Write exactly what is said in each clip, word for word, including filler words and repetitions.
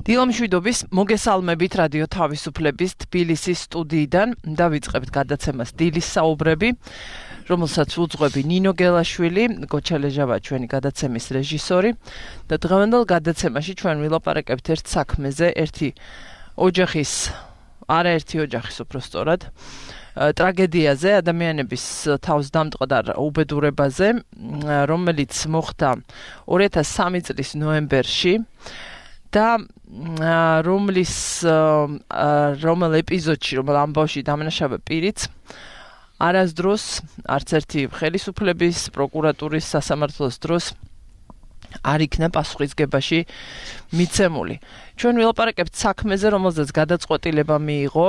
დილამშვიდობის მოგესალმებით რადიო თავისუფლების თბილისის სტუდიიდან დავიწყებთ გადაცემას დილის საუბრები, რომელსაც უძღვები ნინო გელაშვილი, გოჩალეჟავა ჩვენი გადაცემის რეჟისორი და დღევანდელ გადაცემაში ჩვენ ვილაპარაკებთ ერთ საქმეზე, ერთი ოჯახის, არაერთი ოჯახის უпростоრად ტრაგედიაზე, ადამიანების თავსდამტყდარ უბედურებაზე, რომელიც მოხდა ორი ათას სამი წლის ნოემბერში და რომლის რომელ ეპიზოდში, რომელ ამბავში დამნაშავე პირიც არასდროს არც ერთი ხელისუფლების, პროკურატურის, სასამართლოს დროს არ იქნა პასუხისგებაში მიცემული. ჩვენ ვილაპარაკებთ საქმეზე, რომელზეც გადაწყვეტილება მიიღო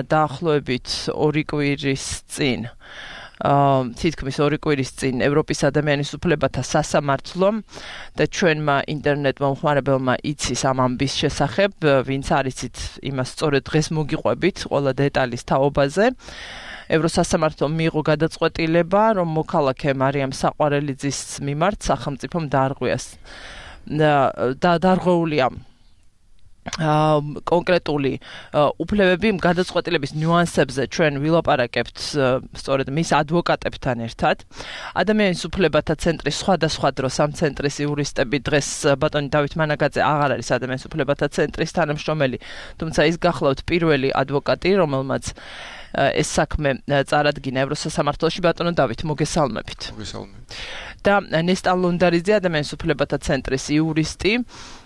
დაახლოებით ორი კვირის წინ. თითქმის ორი კვირის წინ ევროპის ადამიანის უფლებათა სასამართლომ და ჩვენმა ინტერნეტ მომხმარებელმა იცის ამ ამბის შესახებ, ვინც არ იცით, იმას სწორედ დღეს მოგიყვებით ყველა დეტალის თაობაზე. ევროსასამართლომ მიიღო გადაწყვეტილება, რომ მოქალაქე მარიამ საყვარელიძის მიმართ სახელმწიფომ დაარღვიას და დარღვეულია კონკრეტული უფლებები. გადაწყვეტილების ნიუანსებზე ჩვენ ვილაპარაკებთ სწორედ მის ადვოკატებთან ერთად. ადამიანის უფლებათა ცენტრის სხვადასხვა დროს ამ ცენტრის იურისტები დღეს ბატონი დავით მანაგაძე აღარ არის ადამიანის უფლებათა ცენტრის თანამშრომელი, თუმცა ის გახლავთ პირველი ადვოკატი, რომელმაც ეს საქმე წარადგინა ევროსასამართლოში. ბატონო დავით, მოგესალმებით. მოგესალმებით. და ნესტან ლუნდარიძე, ადამიანის უფლებათა ცენტრის იურისტი.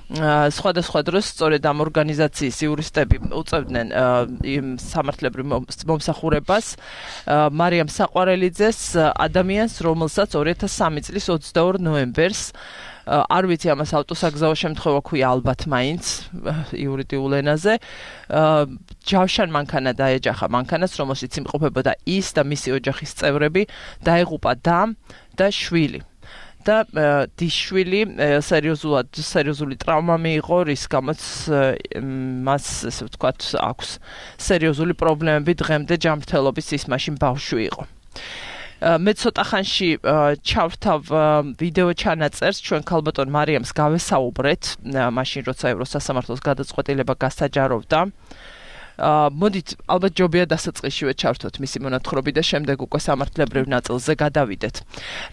სხვადასხვა დროს სწორედ ამ ორგანიზაციის იურისტები უწევდნენ იმ სამართლებრივ მომსახურებას მარიამ საყვარელიძეს, ადამიანს, რომელსაც ორი ათას სამი წლის ოცდაორ ნოემბერს, არ ვიცი ამას ავტოსაგზაო შემთხვევა ქვია ალბათ მაინც იურიდიულ ენაზე, ჯავშან მანქანა დაეჯახა მანქანას, რომელშიც იმყოფებოდა ის და მისი ოჯახის წევრები, დაეღუპა და და შვილი. და დის-შვილი სერიოზულად სერიოზული ტრავმა მიიღო, რის გამოც მას, ესე ვთქვათ, აქვს სერიოზული პრობლემები დღემდე ჯანმრთელობის, ის მაშინ ბავშვი იყო. მე ცოტა ხანში ჩავრთავ ვიდეო ჩანაწერს, ჩვენ ქალბატონ მარიამს გავესაუბრეთ, მაშინ როცა ევროსასამართლოს გადაწყვეტილება გასაჯაროვდა. მოდით, ალბათ ჯობია დასაწყისშივე ჩავრთოთ მისი მონათხრობი და შემდეგ უკვე სამართლებრივ ნაწილზე გადავიდეთ.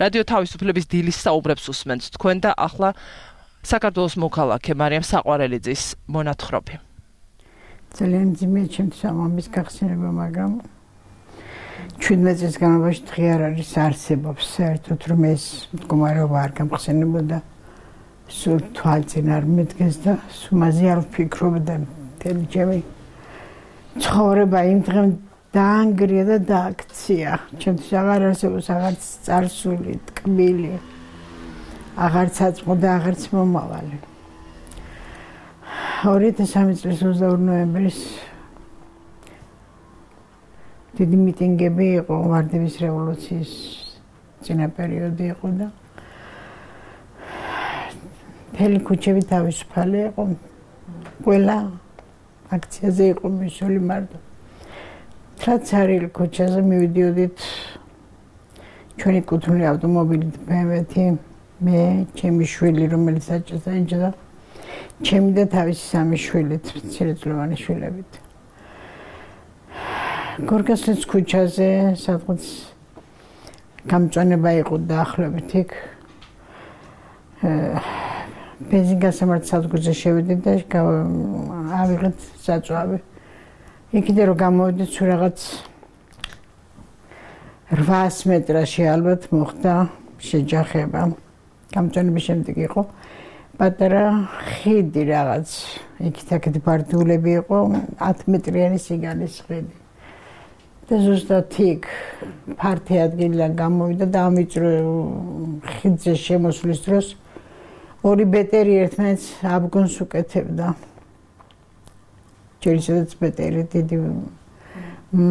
რადიო თავისუფლების დილის საუბრებს უსმენთ თქვენ და ახლა საქართველოს მოქალაქე მარიამ საყვარელიძის მონათხრობი. ძალიან მძიმეა ჩემთვის ამ ამბის გახსენება, მაგრამ ჩვიდმეტ წლის განმავლობაში დღე არ არის არსებობს საერთოდ, რომ ეს მდგომარეობა არ გამხსენებოდა, სულ თვალწინ არ მედგეს და სუმაზე არ ვფიქრობდა მთელი ჩემი ცხოვრება იმ დღემ დაანგრია და დააქცია. ჩემთვის აღარ არსებობს აღარც წარსული, ტკბილი, აღარც აწმყო და აღარც მომავალი. ორი ათას სამი წლის ოცდაორ ნოემბერს დიდი მიტინგები იყო, ვარდების რევოლუციის წინა პერიოდი იყო და მთელი ქუჩები თავისუფალი იყო. ყველა აქციაზე იყო მისული მარტო. ტრაცარილ ქუჩაზე მივიდიოდით ჩვენი კუთვნილი ავტომობილით ბემვეთი, მე, ჩემი შვილი, რომელიც აჭარს დაიჭრა, ჩემი და თავისი სამი შვილით, მცირეწლოვანი შვილებით. გორგასლის ქუჩაზე, სადღაც გამწვანება იყო დაახლოებით იქ. ბენზინგასამართ სადგურზე შევიდით და ავიღეთ საწვავი. იქიდან რომ გამოვიდით, სულ რაღაც რვაას მეტრაში ალბათ მოხდა შეჯახება. გამწვანების შემდეგ იყო პატარა ხიდი რაღაც, იქით-აქეთ ბარდულები იყო, ათი მეტრიანი სიგანის ხიდი. და ზუსტად იქ ფართე ადგილიდან გამოვიდა და ამიწრო ხიდზე შემოსვლის დროს ორი ბეტერი ერთმანეთს აბგონს უკეთებდა. ჯერ ისედაც ბეტერი დიდი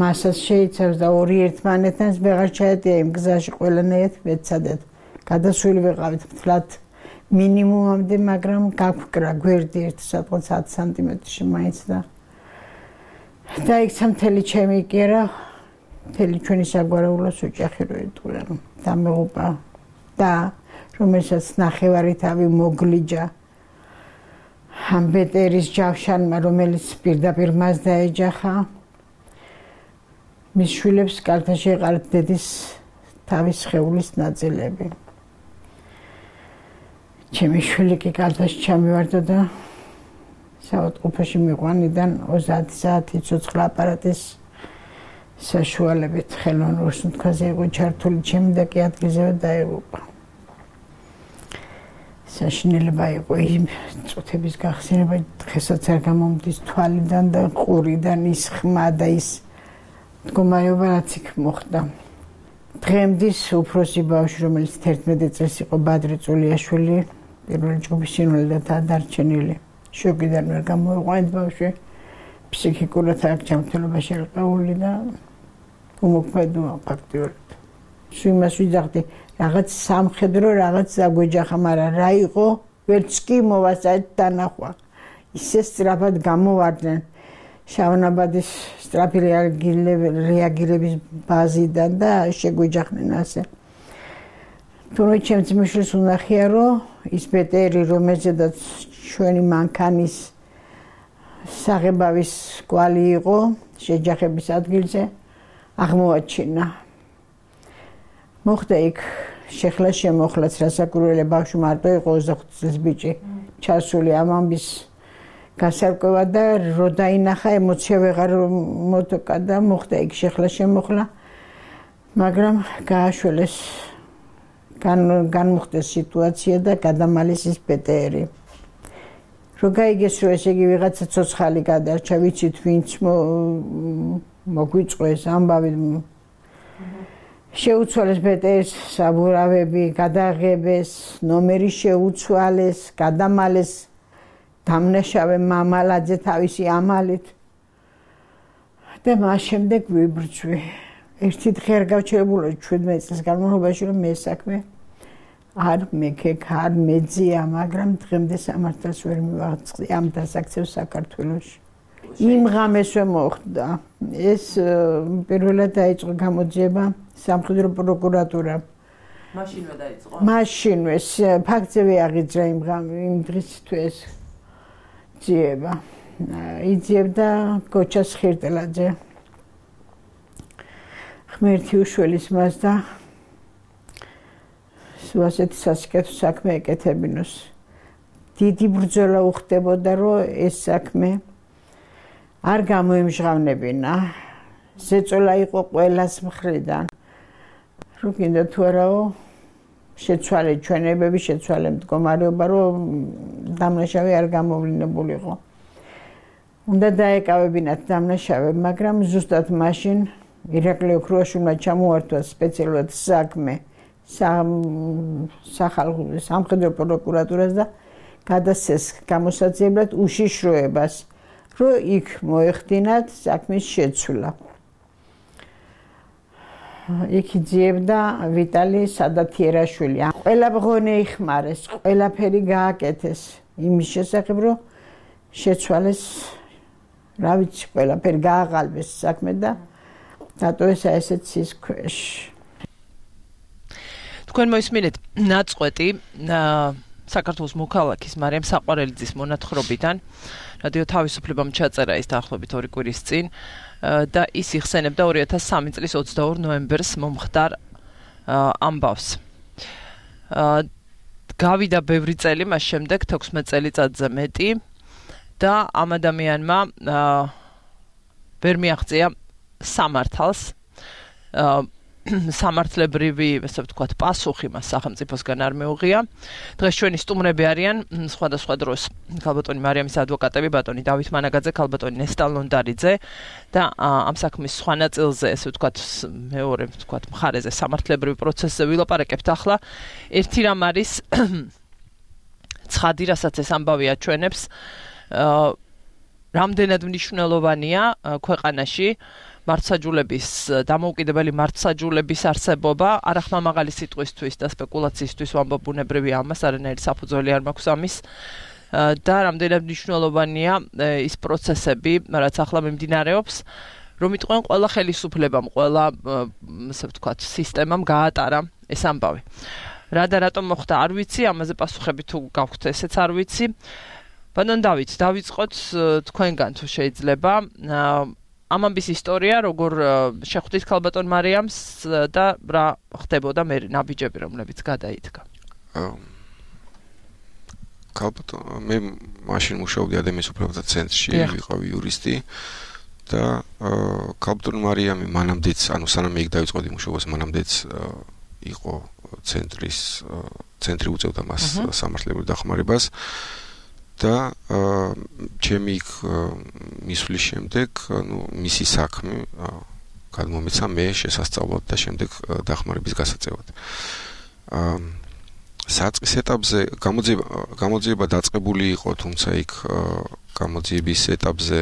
მასას შეიცავს და ორი ერთმანეთთან ვეღარ ჩაეტია იმ გზაში ყველანაირად ვეცადეთ. გადასული ვეყავით მთლად მინიმუმამდე, მაგრამ გაგვკრა გვერდი ერთი სადღაც ათი სანტიმეტრში მაინც და დაიქცა მთელი ჩემი კერა, მთელი ჩვენი საგვარეულოს ოჯახი რო ეტყვა, დამეღუპა და რომელსაც ნახევარი თავი მოგლიჯა. ამ ბეტერის ჯავშანმა, რომელიც პირდაპირ მას დაეჯახა, მის შვილებს კალთაში ეყარათ დედის თავის სხეულის ნაწილები. ჩემი შვილი კი კალთაში ჩამივარდა და საავადმყოფოში მიყვანიდან ოცდაათი საათი ცოცხლა აპარატის საშუალებით ხელოვნურ სუნთქვაზე იყო ჩართული, ჩემი და კი ადგილზევე დაეღუპა. საშინელება იყო იმ წუთების გახსენება, დღესაც არ გამომდის თვალიდან და ყურიდან ის ხმა და ის მდგომარეობა, რაც იქ მოხდა. დღემდის უფროსი ბავშვი, რომელიც თერთმეტი წელს იყო ბადრი წულიაშვილი, პირველი ჯგუფის სინვალიდად დარჩენილი. შოკიდან ვერ გამოიყვანეთ ბავშვი, ფსიქიკურად აქ ჯანმრთელობაში ერყეული და უმოქმედოა ფაქტიურად. იმას ვიძახდი, რაღაც სამხედრო, რაღაც დაგვეჯახა, მაგრამ რა იყო, ვერც კი მოვასწრეთ დანახვა. ისე სწრაფად გამოვარდნენ შავნაბადის სწრაფი რეაგირების ბაზიდან და შეგვეჯახნენ ასე. თუმცა ჩემს მიშლის უნახია, რომ ის ბეტერი, რომელზედაც ჩვენი მანქანის საღებავის კვალი იყო შეჯახების ადგილზე, აღმოაჩინა. მოხდა იქ შეხლა შემოხლაც, რასაკვირველია, ბავშვი მარტო იყო ოცდახუთი წლის ბიჭი, ჩასული ამ ამბის გასარკვევა და რო დაინახა, ემოცია ვეღარ მოტოკა და მოხდა იქ შეხლა შემოხლა, მაგრამ გააშველეს, განმოხდეს სიტუაცია და გადამალეს ის ბეტერი. რო გაიგეს, რომ ესე იგი ვიღაცა ცოცხალი გადარჩა, ვიცით ვინც მოგვიწყვეს ამბავი, შეუცვალეს ბეტერის საბურავები, გადაღებეს, ნომერი შეუცვალეს, გადამალეს დამნაშავე მამალაძე თავისი ამალით და მას შემდეგ ვიბრძვი. ერთი დღე არ გავჩერებულა ჩვიდმეტი წლის განმავლობაში, რომ მე საქმე არ მეკექ, არ მეძია, მაგრამ დღემდე სამართალს ვერ მივაღწევ ამ დასაქცევს საქართველოში. იმ ღამესვე მოხდა. ეს პირველად დაიწყო გამოძიება სამხედრო პროკურატურა. მაშინვე დაიწყო? მაშინვე, ფაქტზე აღიძრა იმ იმ დღისთვეს ძიება. იძიებდა გოჩას ხირტელაძე. ღმერთი უშველის მას და ასეთი სასიკეთო საქმე ეკეთებინოს. დიდი ბრძოლა უხდებოდა, რომ ეს საქმე არ გამოიმჟღავნებინა. ზეწოლა იყო ყველას მხრიდან. რო კიდე თუ არაო შეცვალე ჩვენებები, შეცვალე მდგომარეობა, რომ დამნაშავე არ გამოვლინებულიყო. უნდა დაეკავებინათ დამნაშავე, მაგრამ ზუსტად მაშინ ირაკლი ოქრუაშვილმა ჩამოართვა სპეციალურად საქმე სახალხო სამხედრო პროკურატურას და გადასცეს გამოსაძიებლად უშიშროებას, რომ იქ მოეხდინათ საქმის შეცვლა. იქ იძიებდა ვიტალი სადათიერაშვილი. ყველა მღონე იხმარეს, ყველაფერი გააკეთეს იმის შესახებ, რომ შეცვალეს, რა ვიცი, ყველაფერი გააღალბეს საქმე და დატოვეს ესეც ის ქვეშ. თქვენ მოისმინეთ ნაწყვეტი საქართველოს მოქალაქის მარიამ საყვარელიძის მონათხრობიდან, რადიო თავისუფლებამ ჩაწერა ის დაახლოებით ორი კვირის წინ და ის იხსენებდა ორი ათას სამი წლის ოცდაორ ნოემბერს მომხდარ ამბავს. გავიდა ბევრი წელი მას შემდეგ, თექვსმეტ წელიწადზე მეტი და ამ ადამიანმა ვერ მიაღწია სამართალს, სამართლებრივი, ესე ვთქვათ, პასუხი მას სახელმწიფოსგან არ მეუღია. დღეს ჩვენი სტუმრები არიან სხვადასხვა დროს ქალბატონი მარიამის ადვოკატები, ბატონი დავით მანაგაძე, ქალბატონი ნესტა ლონდარიძე და ამ საქმის სხვა ნაწილზე, ესე ვთქვათ, მეორე, ვთქვათ, მხარეზე სამართლებრივ პროცესზე ვილაპარაკებთ ახლა. ერთი რამ არის ცხადი, რასაც ეს ამბავი აჩვენებს, რამდენად მნიშვნელოვანია ქვეყანაში მართლმსაჯულების დამოუკიდებელი მართლმსაჯულების არსებობა, არახმამაღალი სიტყვისთვის და სპეკულაციისთვის ვამბობ ბუნებრივია ამას, არანაირი საფუძველი არ მაქვს ამის და რამდენად მნიშვნელოვანია ის პროცესები, რაც ახლა მიმდინარეობს, რომ იტყვენ ყველა ხელისუფლებამ, ყველა, ასე ვთქვათ, სისტემამ გაატარა ეს ამბავი. რა და რატომ მოხდა, არ ვიცი, ამაზე პასუხები თუ გაქვთ, ესეც არ ვიცი. ბატონ დავით, დავიწყოთ თქვენგან თუ შეიძლება. ამ ამბის ისტორია, როგორ შეხვდით ქალბატონ მარიამს და რა ხდებოდა მე ნაბიჯები, რომლებიც გადაიდგა. ქალბატონ მე მაშინ მუშაობდი ადამიანის უფლებათა ცენტრში, ვიყავი იურისტი და ქალბატონ მარიამი მანამდეც, ანუ სანამ მე იქ დავიწყოდი მუშაობას, მანამდეც იყო ცენტრის ცენტრი უწევდა მას სამართლებრივ დახმარებას და ჩემი იქ მისვლის შემდეგ, ну, მისი საქმე გადმომეცა მე შესასწავლად და შემდეგ დახმარების გასაწევად. საწყის ეტაპზე გამოძიება გამოძიება დაწყებული იყო, თუმცა იქ გამოძიების ეტაპზე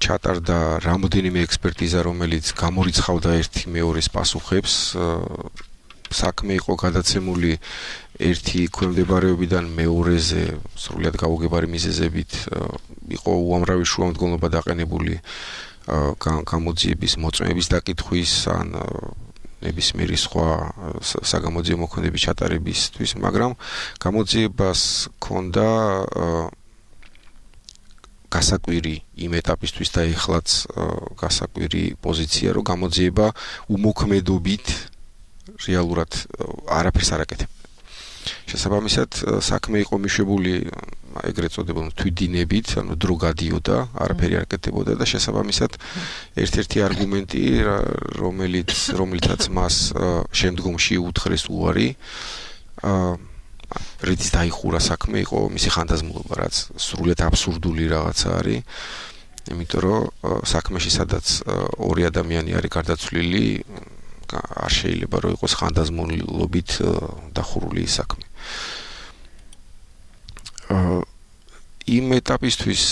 ჩატარდა რამოდენიმე ექსპერტიზა, რომელიც გამორიცხავდა ერთი მეორეს პასუხებს. საქმე იყო გადაცემული ერთი ქვემდებარეობიდან მეორეზე სრულად გაუგებარი მიზეზებით, იყო უამრავი შუამდგომლობა დაყენებული გამოძიების მოწმების დაკითხვის ან ნებისმიერი სხვა საგამოძიებო მოქმედების ჩატარებისთვის, მაგრამ გამოძიებას ჰქონდა გასაკვირი იმ ეტაპისთვის და ეხლაც გასაკვირი პოზიცია, რომ გამოძიება უმოქმედობით რეალურად არაფერს არ აკეთებდა. შესაბამისად, საქმე იყო მიშვებული ეგრეთ წოდებულ თვითდინებით, ანუ დრო გადიოდა, არაფერი არ აკეთებოდა და შესაბამისად ერთ-ერთი არგუმენტი, რომელიც რომელიცაც მას შემდგომში უთხრეს უარი, რითიც დაიხურა საქმე, იყო მისი ხანდაზმულობა, რაც სრულიად აბსურდული რაღაცა არის, იმიტომ რომ საქმეში სადაც ორი ადამიანი არის გარდაცვლილი, არ შეიძლება რომ იყოს ხანდაზმულობით დახურული საქმე. იმ ეტაპისთვის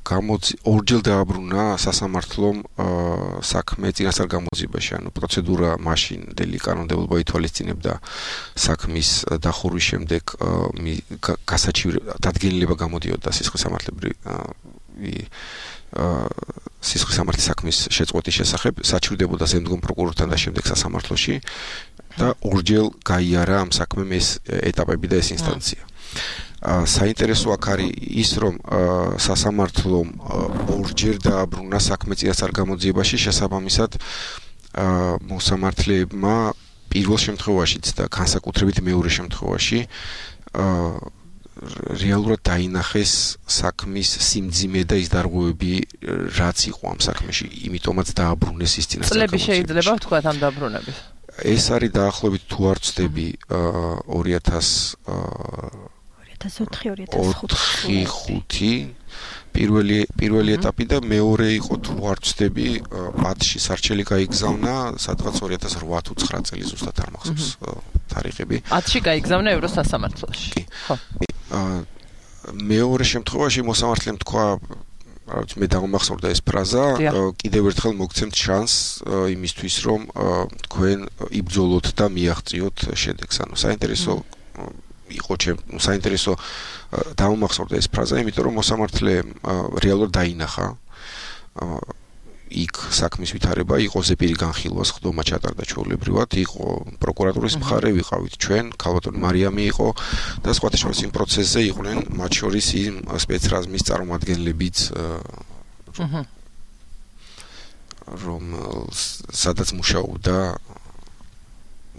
გამოცი ორჯერ დააბრუნა სასამართლომ საქმე წინასწარ გამოძიებაში, ანუ პროცედურა მაშინდელი კანონმდებლობა ითვალისწინებდა საქმის დახურვის შემდეგ გასაჩივრება დადგენილება გამოდიოდა სისხლის სამართლებრივი სისხლის სამართლის საქმის შეწყვეტის შესახებ, საჩივრდებოდა ზემდგომ პროკურორთან და შემდეგ სასამართლოში და ორჯერ გაიარა ამ საქმემ ეს ეტაპები და ეს ინსტანცია. საინტერესო აქ არის ის, რომ სასამართლომ ორჯერ დააბრუნა საქმე წინასწარ გამოძიებაში, შესაბამისად მოსამართლეებმა პირველ შემთხვევაშიც და განსაკუთრებით მეორე შემთხვევაში რეალურად დაინახეს საქმის სიმძიმე და ის დარღვევები, რაც იყო ამ საქმეში, იმიტომაც დააბრუნეს ის წინასწარ გამოძიებაში. წლები შეიძლება ვთქვათ ამ დაბრუნების. ეს არის დაახლოებით თუ არ ვცდები ორი ათას ოთხი პირველი პირველი ეტაპი და მეორე იყო თუ არ ვცდები ათში სარჩელი გაიგზავნა, სადღაც ორი ათას ოთხ თუ ცხრა წელი ზუსტად არ მახსოვს თარიღები. ათში გაიგზავნა ევროსასამართლოში. ხო. მეორე შემთხვევაში მოსამართლემ თქვა, რა ვიცი, მე დამახსოვრდა ეს ფრაზა, კიდევ ერთხელ მოგცემთ შანსს იმისთვის, რომ თქვენ იბრძოლოთ და მიაღწიოთ შედეგს. ანუ საინტერესო იყო ჩემ, საინტერესო დამახსოვრდა ეს ფრაზა, იმიტომ რომ მოსამართლე რეალურად დაინახა იქ საქმის ვითარება, იყო ზეპირი განხილვა, ხდომა ჩატარდა ჩვეულებრივად, იყო პროკურატურის მხარე, ვიყავით ჩვენ, ქალბატონი მარიამი იყო და სხვათა შორის იმ პროცესზე იყვნენ, მათ შორის იმ სპეცრაზმის წარმომადგენლებიც, რომ სადაც მუშაობდა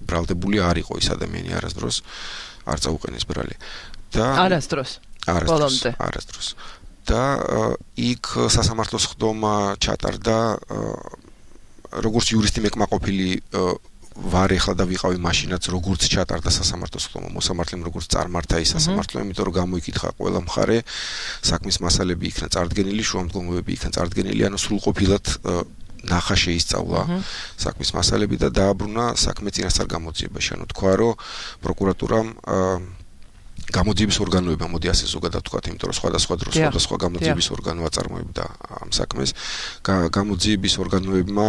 ბრალდებული არ იყო ის ადამიანი არასდროს, არ წაუყენეს ბრალი. და არასდროს. არასდროს. არასდროს. და იქ სასამართლოს ხდომა ჩატარდა, როგორც იურისტი მეკმაყოფილი ვარ ეხლა და ვიყავი მაშინაც, როგორც ჩატარდა სასამართლოს ხდომა, მოსამართლემ როგორც წარმართა ის სასამართლო, იმიტომ რომ გამოიკითხა ყველა მხარე, საქმის მასალები იქნა წარდგენილი, შუამდგომლობები იქნა წარდგენილი, ანუ სრულყოფილად ნახა შეისწავლა საქმის მასალები და დააბრუნა საქმე წინასწარ გამოძიებაში. ანუ თქვა, რომ პროკურატურამ გამოძიების ორგანოებმა, მოდი ასე ზოგადად ვთქვათ, იმიტომ რომ სხვადასხვა დროს სხვადასხვა გამოძიების ორგანო აწარმოებდა ამ საქმეს. გამოძიების ორგანოებმა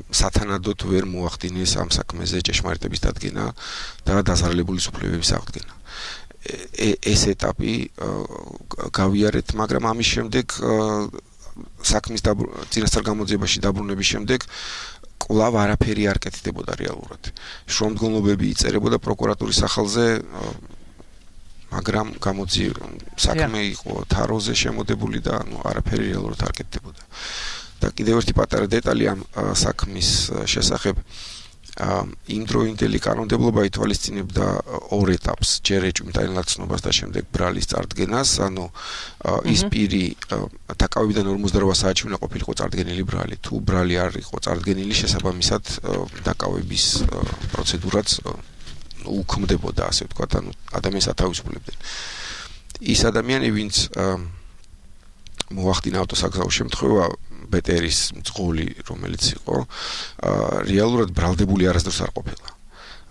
სათანადოდ ვერ მოახდინეს ამ საქმეზე ჭეშმარიტების დადგენა და დაზარალებული სუფლებების აღდგენა. ეს ეტაპი გავიარეთ, მაგრამ ამის შემდეგ საქმის წინასწარ გამოძიებაში დაბრუნების შემდეგ კვლავ არაფერი არ კეთდებოდა რეალურად. შუამდგომლობები იწერებოდა პროკურატურის სახელზე მაგრამ გამოძი საქმე იყო თაროზე შემოდებული და ანუ არაფერი რეალურად არ კეთდებოდა. და კიდევ ერთი პატარა დეტალი ამ საქმის შესახებ იმდროინდელი კანონმდებლობა ითვალისწინებდა ორ ეტაპს, ჯერ ეჭვმიტანილ ნაცნობას და შემდეგ ბრალის წარდგენას, ანუ ის პირი დაკავებიდან ორმოცდაოთხ საათში უნდა ყოფილიყო წარდგენილი ბრალი. თუ ბრალი არ იყო წარდგენილი, შესაბამისად დაკავების პროცედურაც უქმდებოდა, ასე ვთქვათ, ანუ ადამიანს ათავისუფლებდნენ. ის ადამიანი, ვინც მოახდინა ავტოსაგზაო შემთხვევა ბეტერის მძღოლი, რომელიც იყო, რეალურად ბრალდებული არასდროს არ ყოფილა.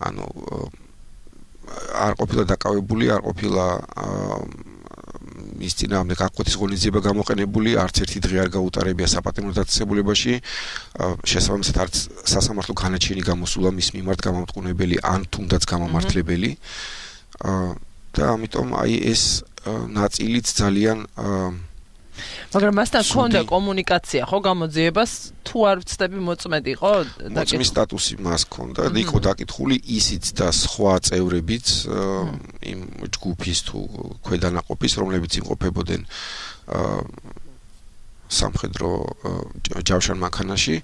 ანუ არ ყოფილა დაკავებული, არ ყოფილა მის წინააღმდეგ აღკვეთის ღონისძიება გამოყენებული, არც ერთი დღე არ გაუტარებია საპატიმრო დაწესებულებაში, შესაბამისად არც სასამართლო განაჩენი გამოსულა მის მიმართ გამამტყუნებელი ან თუნდაც გამამართლებელი. და ამიტომ აი ეს ნაწილიც ძალიან მაგრამ მასთან ქონდა კომუნიკაცია, ხო, გამოძიებას თუ არ ვწდები მოწმედი, ხო? მოწმის სტატუსი მას ქონდა და იყო დაკითხული ისიც და სხვა წევრებიც იმ ჯგუფის თუ ქვედანაყოფის, რომლებიც იმყოფებოდნენ სამხედრო ჯავშან მანქანაში,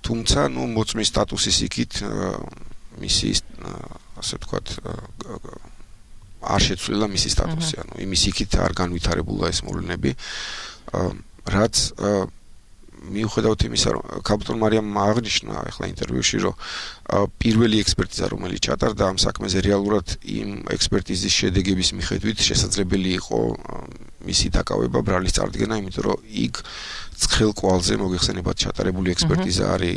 თუმცა ნუ მოწმის სტატუსის იქით მისი ასე ვთქვათ არ შეცვლილა მისი სტატუსი, ანუ იმის იქით არ განვითარებულა ეს მოვლენები. რაც მიუხედავად იმისა, რომ კაპიტან მარიამ აღნიშნა ახლა ინტერვიუში, რომ პირველი ექსპერტიზა, რომელიც ჩატარდა ამ საქმეზე, რეალურად იმ ექსპერტიზის შედეგების მიხედვით შესაძლებელი იყო მისი დაკავება ბრალის წარდგენა, იმიტომ რომ იქ ცხელ კვალზე მოგეხსენებათ ჩატარებული ექსპერტიზა არის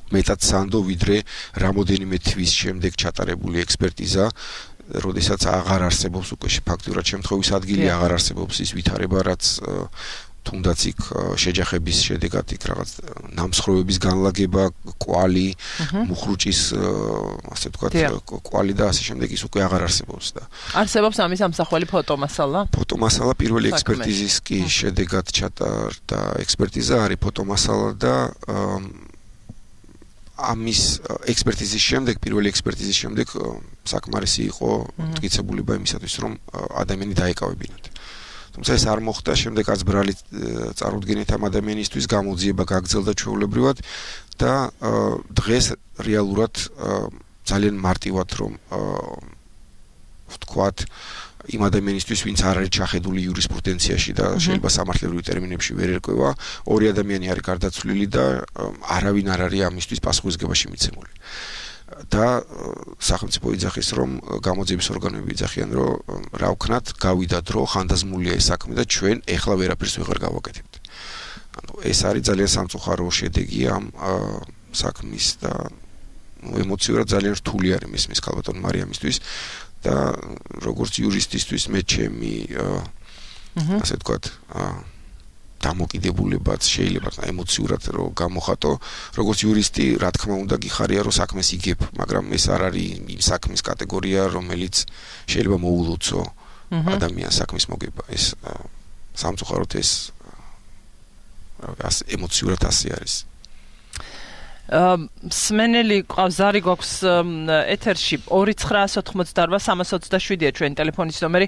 მეტად სანდო, ვიდრე რამოდენიმე თვის შემდეგ ჩატარებული ექსპერტიზა, როდესაც აღარ არსებობს უკვე ფაქტურად შემთხვევის ადგილი, აღარ არსებობს ის ვითარება, რაც თუნდაც იქ შეჯახების შედეგად იქ რაღაც ნამსხვრევების განლაგება, კვალი, მუხრუჭის, ასე ვთქვათ, კვალი და ასე შემდეგ ის უკვე აღარ არსებობს და არსებობს ამის ამსახველი ფოტომასალა? ფოტომასალა პირველი ექსპერტიზის კი შედეგად ჩატარდა ექსპერტიზა არის ფოტომასალა და ამის ექსპერტიზის შემდეგ, პირველი ექსპერტიზის შემდეგ საკმარისი იყო მტკიცებულება იმისათვის, რომ ადამიანი დაეკავებინათ. თუმცა ეს არ მოხდა, შემდეგ არც ბრალი წარუდგენით ამ ადამიანისთვის გამოძიება გაგრძელდა ჩვეულებრივად და დღეს რეალურად ძალიან მარტივად რომ ვთქვათ იმ ადამიანისთვის, ვინც არ არის ჩახედული იურისპრუდენციაში და შეიძლება სამართლებრივ ტერმინებში ვერ ერკვევა, ორი ადამიანი არის გარდაცვლილი და არავინ არ არის ამისთვის პასუხისგებაში მიცემული. და სახელმწიფო იძახის, რომ გამოძიების ორგანოები იძახიან, რომ რა ვქნათ, გავიდა დრო, ხანდაზმულია ეს საქმე და ჩვენ ეხლა ვერაფერს ვეღარ გავაკეთებთ. ანუ ეს არის ძალიან სამწუხარო შედეგი ამ საქმის და ემოციურად ძალიან რთული არის მისმის კალბატონ მარიამისთვის. და როგორც იურისტისთვის მე ჩემი ასე ვთქვათ დამოკიდებულებაც შეიძლება ემოციურად რომ გამოხატო, როგორც იურისტი, რა თქმა უნდა გიხარია რომ საქმეს იგებ, მაგრამ ეს არ არის იმ საქმის კატეგორია, რომელიც შეიძლება მოულოცო ადამიანს საქმის მოგება. ეს სამწუხაროდ ეს ასე ემოციურად ასე არის. სმენელი ყავს, ზარი გვაქვს ეთერში ორი ცხრაას ოთხმოცდაოთხ სამას ოცდაშვიდია ჩვენი ტელეფონის ნომერი.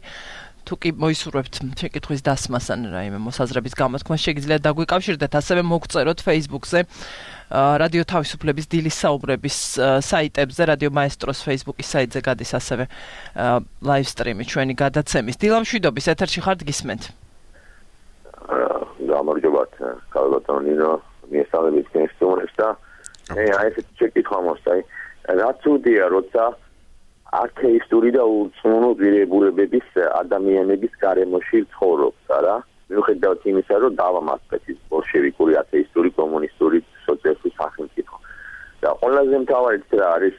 თუ კი მოისურვებთ შეკითხვის დასმას ან რაიმე მოსაზრების გამოთქმას, შეგიძლიათ დაგვიკავშირდეთ, ასევე მოგწეროთ Facebook-ზე, რადიო თავისუფლების დილის საუბრების საიტებზე, რადიო მაესტროს Facebook-ის საიტზე გადის ასევე live stream-ი ჩვენი გადაცემის. დილა მშვიდობის, ეთერში ხართ, გისმენთ. გამარჯობათ, კალბატონ ნინო, მიესალმებით თქვენს სტუმრებს და მე აი ეს შეკითხვა მოსწაი. რაც უდია, როცა ათეისტური და უწმუნო ღირებულებების ადამიანების გარემოში ცხოვრობს, არა? მიუხედავად იმისა, რომ დავამატეთ ის ბოლშევიკური, ათეისტური, კომუნისტური, სოციალისტური სახელმწიფო. და ყველაზე მთავარი რა არის?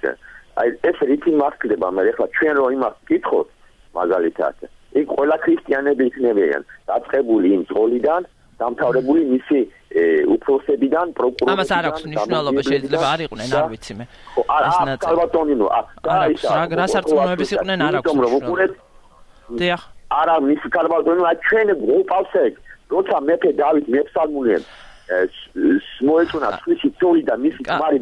აი ეს რითი მასკდება, მე ახლა ჩვენ რო იმას ვკითხოთ, მაგალითად, იქ ყველა ქრისტიანები იქნებიან დაწყებული იმ ძღოლიდან, დამთავრებული მისი უფროსებიდან, პროკურორებიდან. ამას არ აქვს მნიშვნელობა, შეიძლება არ იყვნენ, არ ვიცი მე. ხო, არა, კალბატონინო, არა, რა სარწმუნოების იყვნენ, არ აქვს მნიშვნელობა. დიახ. არა, მისი კალბატონინო, ჩვენ უყავს ეგ, როცა მეფე დავით მეფსალმუნემ მოეწონა თვისი წოლი და მისი ძმარი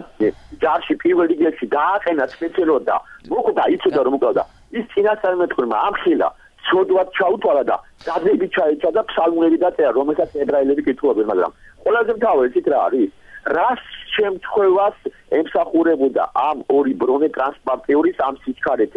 ჯარში პირველ რიგებში დააყენა სპეციალურად და მოკვდა, იცოდა რომ მოკვდა. ის წინასწარმეტყველმა ამხილა ცოდვად ჩაუთვალა და დადებით ჩაეცა და ფსალმუნები დაწერა, რომელსაც ებრაელები კითხულობენ, მაგრამ ყველაზე მთავარი ის რა არის? რას შემთხვევას ემსახურებოდა ამ ორი ბრონე ტრანსპორტიორის ამ სიჩქარეთ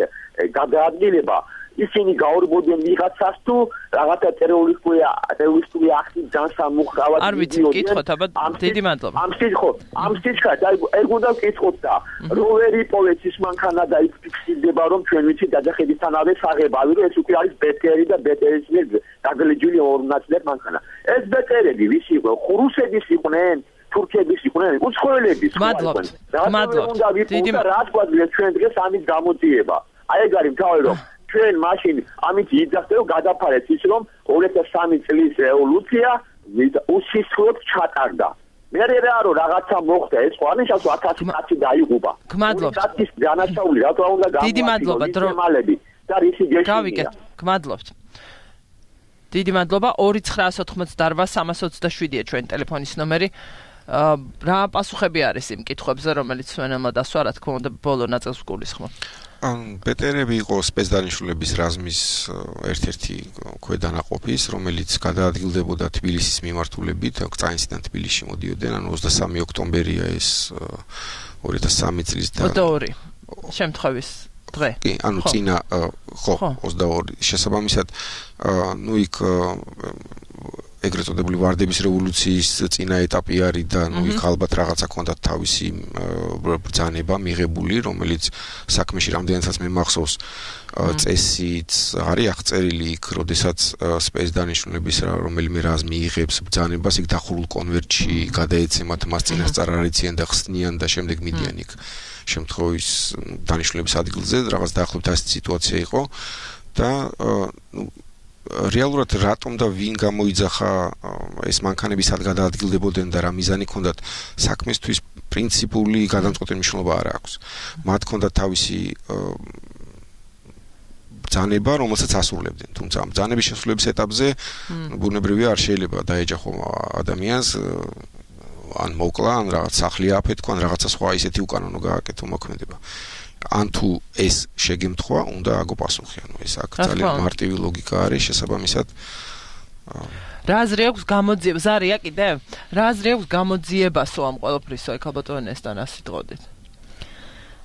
გადაადგილება? ისინი გაურბოდნენ ვიღაცას თუ რაღაცა ტერორისტული ტერორისტული აქტის განსამუხრავად არ ვიცი ვკითხოთ, აბა დიდი მადლობა. ამ სიჩქო, ამ სიჩქარით აი ეგ უნდა ვკითხოთ და როვერი პოვեց ის მანქანა და იქ ფიქსირდება რომ ჩვენ ვიცით დაჯახედისთანავე საღებავი რომ ეს უკვე არის ბეტერი და ბეტერის მიერ დაგლეჯული ორ ნაწილად მანქანა. ეს ბეტერები ვის იყო? რუსების იყვნენ? თურქების იყვნენ? უცხოელების. მადლობთ. მადლობთ. დიდი მადლობა. რა გვაძლევს ჩვენ დღეს ამის გამოძიება? აი ეგ არის მთავარი რომ ჩვენ მაშინ ამით იძახდე რომ გადაფარეთ ის რომ ორი ათას სამი წლის რევოლუცია უსისხლოდ ჩატარდა. მე რა რომ რაღაცა მოხდა ეს ხო არის ასო ათასი კაცი დაიღუპა. გმადლობთ. კაცის დანაშაული რა თქმა უნდა გამოიწვია. დიდი მადლობა დრომალები და რისი გეშინია. გავიგეთ. გმადლობთ. დიდი მადლობა. ორი ცხრაას ოცდაოთხმოცდაოთხ სამას ოცდაშვიდია ჩვენი ტელეფონის ნომერი. რა პასუხები არის იმ კითხვებზე, რომელიც ჩვენმა დასვა, რა თქმა უნდა, ბოლო ნაწილს გულისხმობ. ან ბეტერები იყო სპეცდანიშნულების რაზმის ერთ-ერთი ქვედანაყოფის, რომელიც გადაადგილდებოდა თბილისის მიმართულებით, კწაინსიდან თბილისში მოდიოდნენ, ანუ ოცდასამი ოქტომბერია ეს ორი ათას სამი წლის და ოცდაორი შემთხვევის დღე. კი, ანუ წინა ხო, ოცდაორი შესაბამისად, ნუ იქ ეგრეთ წოდებული ვარდების რევოლუციის წინა ეტაპი არის და ნუ იქ ალბათ რაღაცა ქონდათ თავისი ბრძანება მიღებული, რომელიც საქმეში რამდენადაც მე მახსოვს წესიც არის აღწერილი იქ, როდესაც სპეცდანიშნულების რომელიმე რაზმი იღებს ბრძანებას, იქ დახურულ კონვერტში გადაეცემათ მას წინასწარ არიციან და ხსნიან და შემდეგ მიდიან იქ შემთხვევის დანიშნულების ადგილზე, რაღაც დაახლოებით ასეთი სიტუაცია იყო და ნუ რეალურად რატომ და ვინ გამოიძახა ეს მანქანები სად გადაადგილდებოდნენ და რა მიზანი ჰქონდათ საქმესთვის პრინციპული გადამწყვეტი მნიშვნელობა არ აქვს. მათ ჰქონდათ თავისი ბრძანება, რომელსაც ასრულებდნენ. თუმცა ამ ბრძანების შესრულების ეტაპზე ბუნებრივია არ შეიძლება დაეჯახო ადამიანს ან მოკლა, ან რაღაც სახლი აფეთქვა, ან რაღაცა სხვა ისეთი უკანონო გააკეთო მოქმედება. ან თუ ეს შეგემთხვა, უნდა აგო პასუხი, ანუ ეს აქ ძალიან მარტივი ლოგიკა არის, შესაბამისად რა აზრი აქვს გამოძიება? ზარია კიდე? რა აზრი აქვს გამოძიებასო ამ ყველაფრისო? აი ქალბატონესთან ასე თყოდით.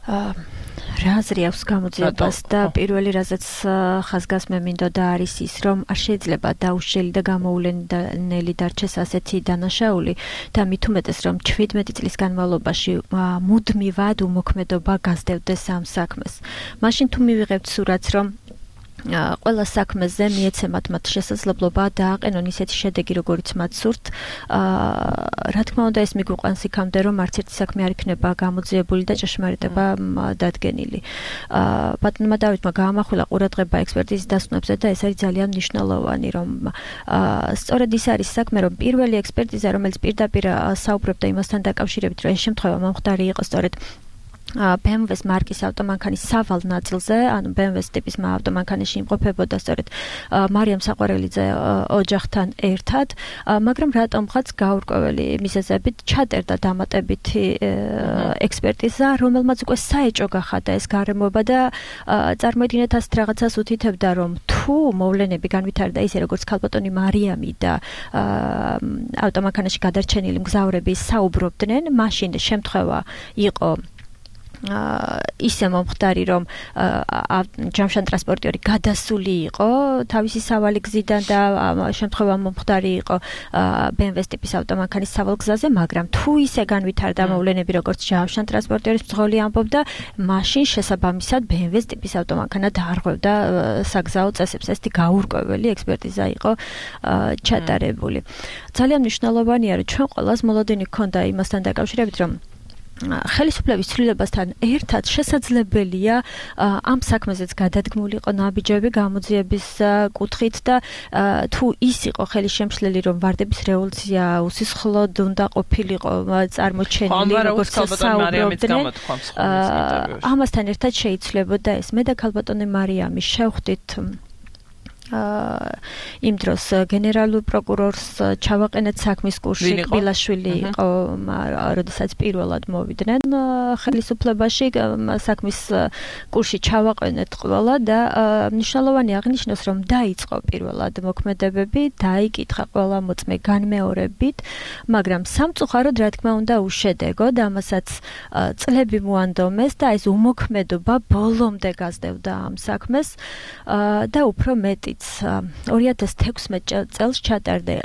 რა აზრი აქვს გამოძიებას და პირველი რაზეც ხაზგას მე მინდოდა არის ის რომ არ შეიძლება დაუშლელი და გამოულენელი დარჩეს ასეთი დანაშაული და მით უმეტეს რომ ჩვიდმეტი წლის განმავლობაში მუდმივად უმოქმედობა გასდევდეს ამ საქმეს. მაშინ თუ მივიღებთ სურათს რომ ყველა საქმეზე მიეცემათ მათ შესაძლებლობა დააყენონ ისეთი შედეგი, როგორიც მათ სურთ. რა თქმა უნდა, ეს მიგვიყვანს იქამდე, რომ არც ერთი საქმე არ იქნება გამოძიებული და ჭეშმარიტება დადგენილი. ბატონმა დავითმა გაამახვილა ყურადღება ექსპერტიზის დასკვნებზე და ეს არის ძალიან მნიშვნელოვანი, რომ სწორედ ის არის საქმე, რომ პირველი ექსპერტიზა, რომელიც პირდაპირ საუბრობდა იმასთან დაკავშირებით, რომ ეს შემთხვევა მომხდარი იყო სწორედ ბე ემ ვეს მარკის ავტომანქანის სავალ ნაწილზე, ანუ ბე ემ ვეს ტიპის ავტომანქანაში იმყოფებოდა სწორედ მარიამ საყვარელიძე ოჯახთან ერთად, მაგრამ რატომღაც გაურკვეველი მიზეზებით ჩატერდა დამატებითი ექსპერტიზა, რომელმაც უკვე საეჭო გახადა ეს გარემოება და წარმოიდგინეთ ასეთ რაღაცას უთითებდა, რომ თუ მოვლენები განვითარდა ისე როგორც ქალბატონი მარიამი და ავტომანქანაში გადარჩენილი მგზავრები საუბრობდნენ, მაშინ შემთხვევა იყო ისე მომხდარი, რომ ჯამშან ტრანსპორტიორი გადასული იყო თავისი სავალი გზიდან და შემთხვევა მომხდარი იყო ბე ემ ვეს ტიპის ავტომანქანის სავალ გზაზე, მაგრამ თუ ისე განვითარდა მოვლენები, როგორც ჯამშან ტრანსპორტიორის მძღოლი ამბობდა, მაშინ შესაბამისად ბე ემ ვეს ტიპის ავტომანქანა დაარღვევდა საგზაო წესებს. ესეთი გაურკვეველი ექსპერტიზა იყო ჩატარებული. ძალიან მნიშვნელოვანია, რომ ჩვენ ყველას მოლოდინი ჰქონდა იმასთან დაკავშირებით, რომ ხელისუფლების ცვლილებასთან ერთად შესაძლებელია ამ საქმეზეც გადადგმულიყო ნაბიჯები გამოძიების კუთხით და თუ ის იყო ხელისშემშლელი, რომ ვარდების რევოლუცია უსისხლოდ უნდა ყოფილიყო წარმოჩენილი, როგორც საუბრობდნენ, ამასთან ერთად შეიცვლებოდა ეს. მე და ქალბატონი მარიამი შევხვდით იმ დროს გენერალურ პროკურორს ჩავაყენეთ საქმის კურსი ბილაშვილი იყო, როდესაც პირველად მოვიდნენ ხელისუფლებაში საქმის კურსი ჩავაყენეთ ყველა და მნიშვნელოვანი აღნიშნოს რომ დაიწყო პირველად მოქმედებები, დაიკითხა ყველა მოწმე განმეორებით, მაგრამ სამწუხაროდ რა თქმა უნდა უშედეგო და ამასაც წლები მოანდომეს და ეს უმოქმედობა ბოლომდე გასდევდა ამ საქმეს და უფრო მეტი ორი ათას თექვსმეტ წელს ჩატარდა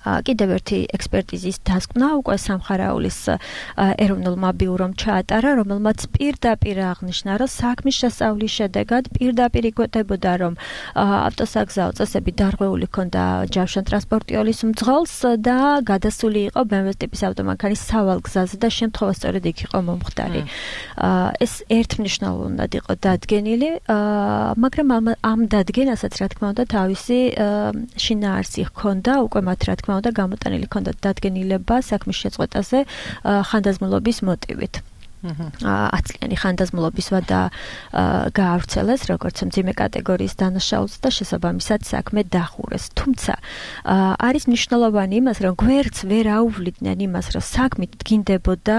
კიდევ ერთი ექსპერტიზის დასკვნა უკვე სამხარაულის ეროვნულმა ბიურომ ჩაატარა, რომელმაც პირდაპირ აღნიშნა, რომ საქმის შესწავლის შედეგად პირდაპირ იკვეთებოდა, რომ ავტოსაგზაო წესები დარღვეული ჰქონდა ჯავშანტრანსპორტიოლის მძღოლს და გადასული იყო бэ ემ ვეს ტიპის ავტომანქანის სავალ გზაზე და შემთხვევა სწორედ იქ იყო მომხდარი. ეს ერთმნიშვნელოვნად იყო დადგენილი, მაგრამ ამ დადგენასაც რა თქმა უნდა თავისი შინაარსი ჰქონდა, უკვე მათ რა თქმა და გამოტანილი ჰქონდათ დადგენილება საქმის შეწყვეტაზე ხანდაზმულობის მოტივით. ათწლიანი ხანდაზმულობის ვადა გაავრცელეს როგორც მძიმე კატეგორიის დანაშაულს და შესაბამისად საქმე დახურეს. თუმცა არის მნიშვნელოვანი იმას, რომ გვერდს ვერ აუვლიდნენ იმას, რომ საქმით დგინდებოდა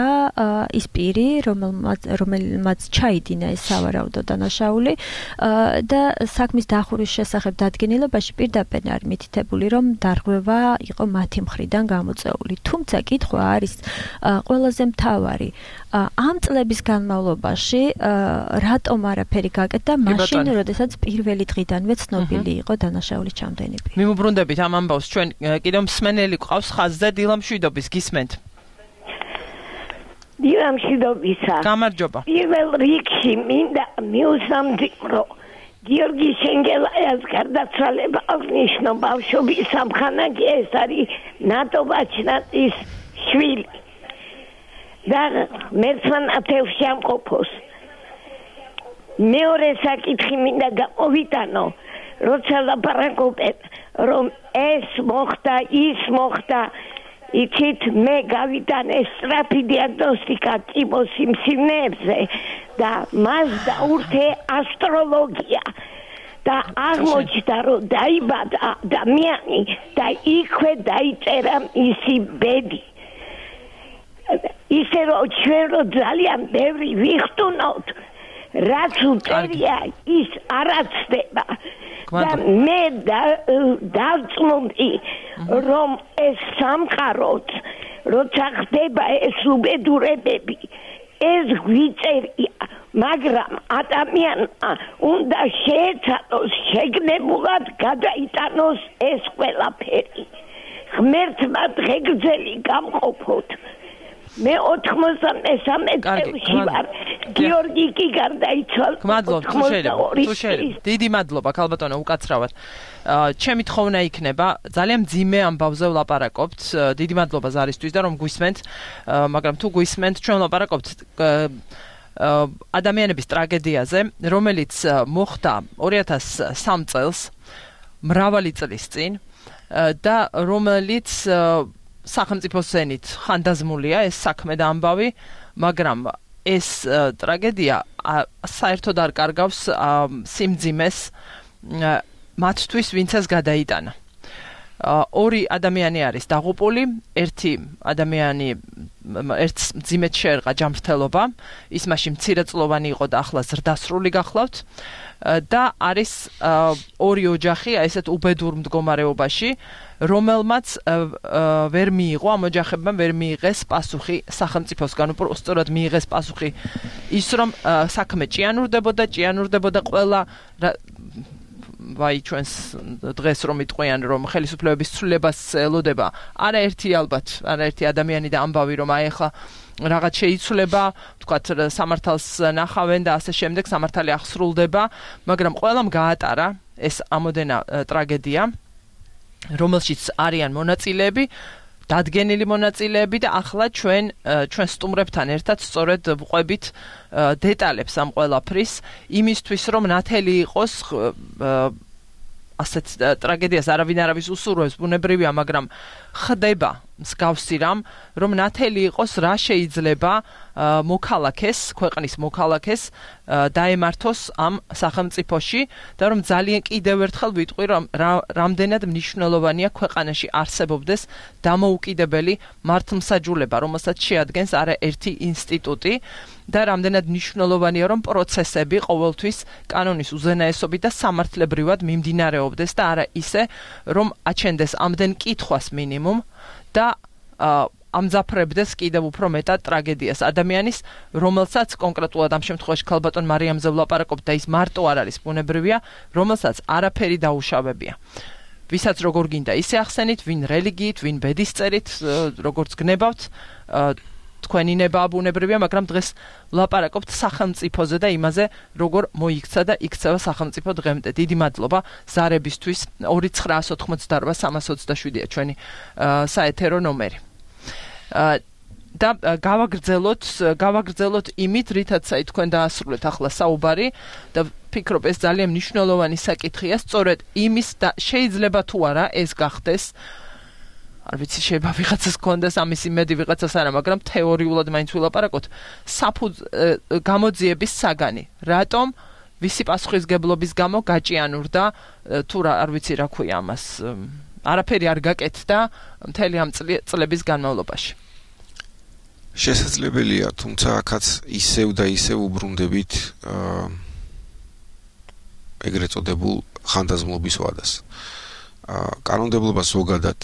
ის პირი, რომელმაც რომელმაც ჩაიდინა ეს სავარაუდო დანაშაული და საქმის დახურის შესახებ დადგენილებაში პირდაპირ არის მითითებული, რომ დარღვევა იყო მათი მხრიდან გამოწეული. თუმცა კითხვა არის ყველაზე მთავარი ამ წლების განმავლობაში რატომ არაფერი გაკეთდა მაშინ, როდესაც პირველი დღიდანვე ცნობილი იყო დანაშაულის ჩამდენები. მიმობრუნდებით ამ ამბავს, ჩვენ კიდევ მსმენელი გვყავს ხაზზე დილამ შვიდობის, გისმენთ. დილამ შვიდობისა. გამარჯობა. პირველ რიგში მინდა მიუსამძიმრო გიორგი შენგელაიას გარდაცვალება აღნიშნო ბავშვობის სამხანაგი, ეს არის ნატო ბაჩნატის შვილი. და მერცმან ათეულში ამყოფოს. მეორე საკითხი მინდა გამოვიტანო, როცა ლაპარაკობენ, რომ ეს მოხდა, ის მოხდა, იცით, მე გავიტანე სწრაფი დიაგნოსტიკა ტიბოს სიმსივნეებზე და მას დაურთე ასტროლოგია და აღმოჩნდა, რომ დაიბადა ადამიანი და იქვე დაიწერა მისი ბედი. ისე რომ ჩვენ რომ ძალიან ბევრი ვიხტუნოთ, რაც უწერია ის არაცდება და მე დავწმუნდი, რომ ეს სამყაროც როცა ხდება ეს უბედურებები, ეს გვიწერია, მაგრამ ადამიანმა უნდა შეეცადოს შეგნებულად გადაიტანოს ეს ყველაფერი. ღმერთმა დღეგრძელი გამყოფოთ. მე ოთხმოცდამესამე წელში ვარ. გიორგი კი გარდაიცვალა. გმადლობთ, თუ შეიძლება. თუ შეიძლება. დიდი მადლობა, ქალბატონო, უკაცრავად. ჩემი თხოვნა იქნება, ძალიან მძიმე ამბავზე ვლაპარაკობთ. დიდი მადლობა ზარისთვის და რომ გვისმენთ, მაგრამ თუ გვისმენთ, ჩვენ ვლაპარაკობთ ადამიანების ტრაგედიაზე, რომელიც მოხდა ორი ათას სამი წელს, მრავალი წლის წინ და რომელიც სახელმწიფოს ზენით ხანდაზმულია ეს საქმე და ამბავი, მაგრამ ეს ტრაგედია საერთოდ არ კარგავს სიმძიმეს მათთვის, ვინც ეს გადაიტანა. ორი ადამიანი არის დაღუპული, ერთი ადამიანი ერთს მძიმედ შეერყა ჯანმრთელობა, ის მაშინ მცირეწლოვანი იყო და ახლა ზრდასრული გახლავთ და არის ორი ოჯახი ესეთ უბედურ მდგომარეობაში, რომელმაც ვერ მიიღო, ამ ოჯახებმა ვერ მიიღეს პასუხი სახელმწიფოსგან, უბრალოდ მიიღეს პასუხი ის, რომ საქმე ჭიანურდებოდა, ჭიანურდებოდა ყველა ვაი ჩვენს დღეს რომ იტყვიან, რომ ხელისუფლებების ცვლილებას ელოდება, არაერთი ალბათ, არაერთი ადამიანი და ამბავი, რომ აი ახლა რაღაც შეიცვლება, თქვათ სამართალს ნახავენ და ასე შემდეგ, სამართალი აღსრულდება, მაგრამ ყველამ გაატარა ეს ამოდენა ტრაგედია, რომელშიც არიან მონაწილეები, დადგენილი მონაწილეები და ახლა ჩვენ ჩვენ სტუმრებთან ერთად სწორედ ვყვებით დეტალებს ამ ყველაფრის, იმისთვის რომ ნათელი იყოს ასეთ ტრაგედიას არავინ არავის უსურვებს, ბუნებრივია, მაგრამ ხდება მსგავსი რამ, რომ ნათელი იყოს რა შეიძლება მოქალაქეს, ქვეყნის მოქალაქეს დაემართოს ამ სახელმწიფოში და რომ ძალიან კიდევ ერთხელ ვიტყვი, რომ რამდენად მნიშვნელოვანია ქვეყანაში არსებობდეს დამოუკიდებელი მართლმსაჯულება, რომელსაც შეადგენს არაერთი ინსტიტუტი და რამდენად მნიშვნელოვანია, რომ პროცესები ყოველთვის კანონის უზენაესობით და სამართლებრივად მიმდინარეობდეს და არა ისე, რომ აჩენდეს ამდენ კითხვას მინიმუმ და ამძაფრებდეს კიდევ უფრო მეტად ტრაგედიას ადამიანის, რომელსაც კონკრეტულად ამ შემთხვევაში ქალბატონ მარიამზე ვლაპარაკობ და ის მარტო არ არის ბუნებრივია, რომელსაც არაფერი დაუშავებია. ვისაც როგორ გინდა ისე ახსენით, ვინ რელიგიით, ვინ ბედისწერით, როგორც გნებავთ, თქვენი ნება ბუნებრივია, მაგრამ დღეს ვლაპარაკობთ სახელმწიფოზე და იმაზე, როგორ მოიქცა და იქცევა სახელმწიფო დღემდე. დიდი მადლობა ზარებისთვის. ორი ცხრა ოცდაოთხმოცდაორვა სამას ოცდაშვიდია ჩვენი საეთერო ნომერი. და გავაგრძელოთ, გავაგრძელოთ იმით, რითაც აი თქვენ დაასრულეთ ახლა საუბარი და ფიქრობ ეს ძალიან მნიშვნელოვანი საკითხია, სწორედ იმის და შეიძლება თუ არა ეს გახდეს არ ვიცი, შეიძლება ვიღაცას კონდეს ამის იმედი, ვიღაცას არა, მაგრამ თეორიულად მაინც ვილაპარაკოთ. საფუძ გამოძიების საგანი. რატომ ვისი პასუხისგებლობის გამო გაჭიანურდა თუ რა არ ვიცი რა ქვია ამას. არაფერი არ გაკეთდა მთელი ამ წლების განმავლობაში. შესაძლებელია, თუმცა აქაც ისევ და ისევ უბრუნდებით ეგრეთ წოდებულ ხანდაზმულობის ვადას. კანონმდებლობა ზოგადად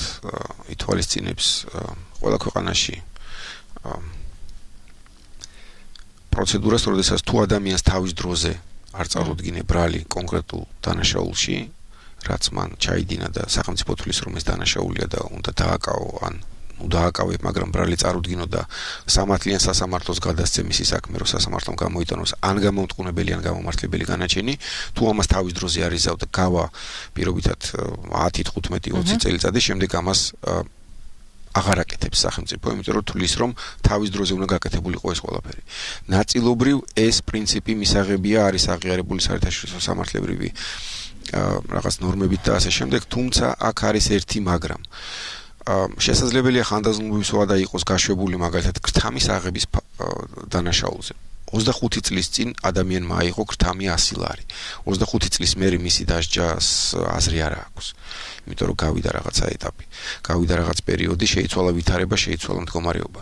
ითვალისწინებს ყველა ქვეყანაში პროცედურას, როდესაც თუ ადამიანს თავის დროზე არ წარუდგინე ბრალი კონკრეტულ დანაშაულში, რაც მან ჩაიდინა და სახელმწიფო თვლის რომ ეს დანაშაულია და უნდა დააკავო ან ნუ დააკავებ, მაგრამ ბრალი წარუდგინო და სამართლიან სასამართლოს გადასცე მისი საქმე, რომ სასამართლომ გამოიტანოს ან გამომტყუნებელი ან გამომართლებელი განაჩენი, თუ ამას თავის დროზე არ იზავ და გავა პირობითად ათი, თხუთმეტი, ოცი წელიწადი, შემდეგ ამას აღარ აკეთებს სახელმწიფო, იმიტომ რომ თulis რომ თავის დროზე უნდა გაკეთებულიყო ეს ყველაფერი. ნაწილობრივ ეს პრინციპი მისაღებია არის აღიარებული საერთაშორისო სამართლებრივი რაღაც ნორმებით და ასე შემდეგ, თუმცა აქ არის ერთი მაგრამ. შესაძლებელია ხანდაზმულობის ვადა იყოს გაშვებული მაგალითად ქრთამის აღების დანაშაულზე. ოცდახუთი წლის წინ ადამიანმა აიღო ქრთამი ასი ლარი. ოცდახუთი წლის მერე მისი დასჯას აზრი არ აქვს. იმიტომ რომ გავიდა რაღაცა ეტაპი. გავიდა რაღაც პერიოდი, შეიცვალა ვითარება, შეიცვალა მდგომარეობა.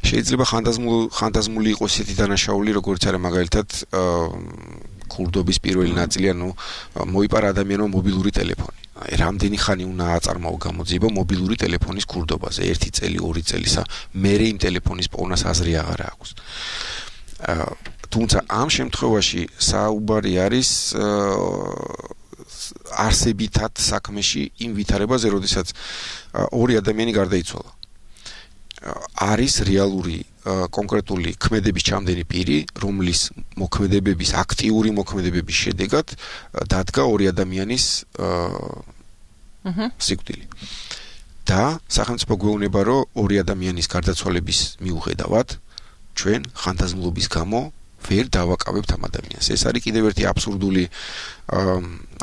შეიძლება ხანდაზმული ხანდაზმული იყოს ისეთი დანაშაული, როგორც არის მაგალითად ქურდობის პირველი ნაწილი, ანუ მოიპარა ადამიანმა მობილური ტელეფონი. რამდენი ხანი უნდა აწარმოო გამოძიება მობილური ტელეფონის ქურდობაზე, ერთი წელი, ორი წელისა, მერე იმ ტელეფონის პოვნას აზრი აღარ აქვს. თუმცა ამ შემთხვევაში საუბარი არის არსებითად საქმეში იმ ვითარებაზე, როდესაც ორი ადამიანი გარდაიცვალა. არის რეალური კონკრეტული ქმედების ჩამდენი პირი, რომლის მოქმედებების, აქტიური მოქმედებების შედეგად დადგა ორი ადამიანის სიკვდილი. და სახელმწიფო გვეუბნება, რომ ორი ადამიანის გარდაცვალების მიუხედავად ჩვენ ხანდაზმულობის გამო ვერ დავაკავებთ ამ ადამიანს. ეს არის კიდევ ერთი აბსურდული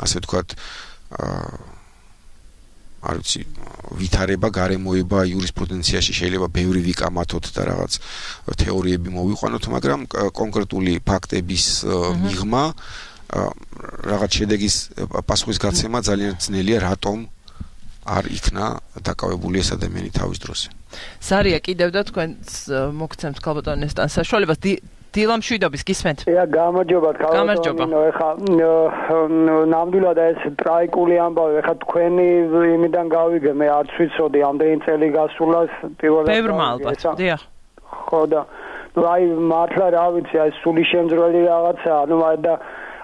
ასე ვთქვათ არ ვიცი ვითარება, გარემოება იურისპრუდენციაში შეიძლება ბევრი ვიკამათოთ და რაღაც თეორიები მოვიყვანოთ, მაგრამ კონკრეტული ფაქტების მიღმა რაღაც შედეგის პასუხის გაცემა ძალიან ძნელია, რატომ არ იქნა დაკავებული ეს ადამიანი თავის დროზე. სარია კიდევ და თქვენ მოგცემთ ქალბატონ ნესტან საშუალებას დილა მშვიდობის გისმენთ. ია გამარჯობათ ქალბატონო, ეხა ნამდვილად ეს ტრაიკული ამბავი, ეხა თქვენი იმიდან გავიგე, მე არც ვიცოდი ამდენი წელი გასულა პირველად. ბევრმა ალბათ, დიახ. ხო და აი მართლა რა ვიცი, აი სული შემძრელი რაღაცა, ანუ და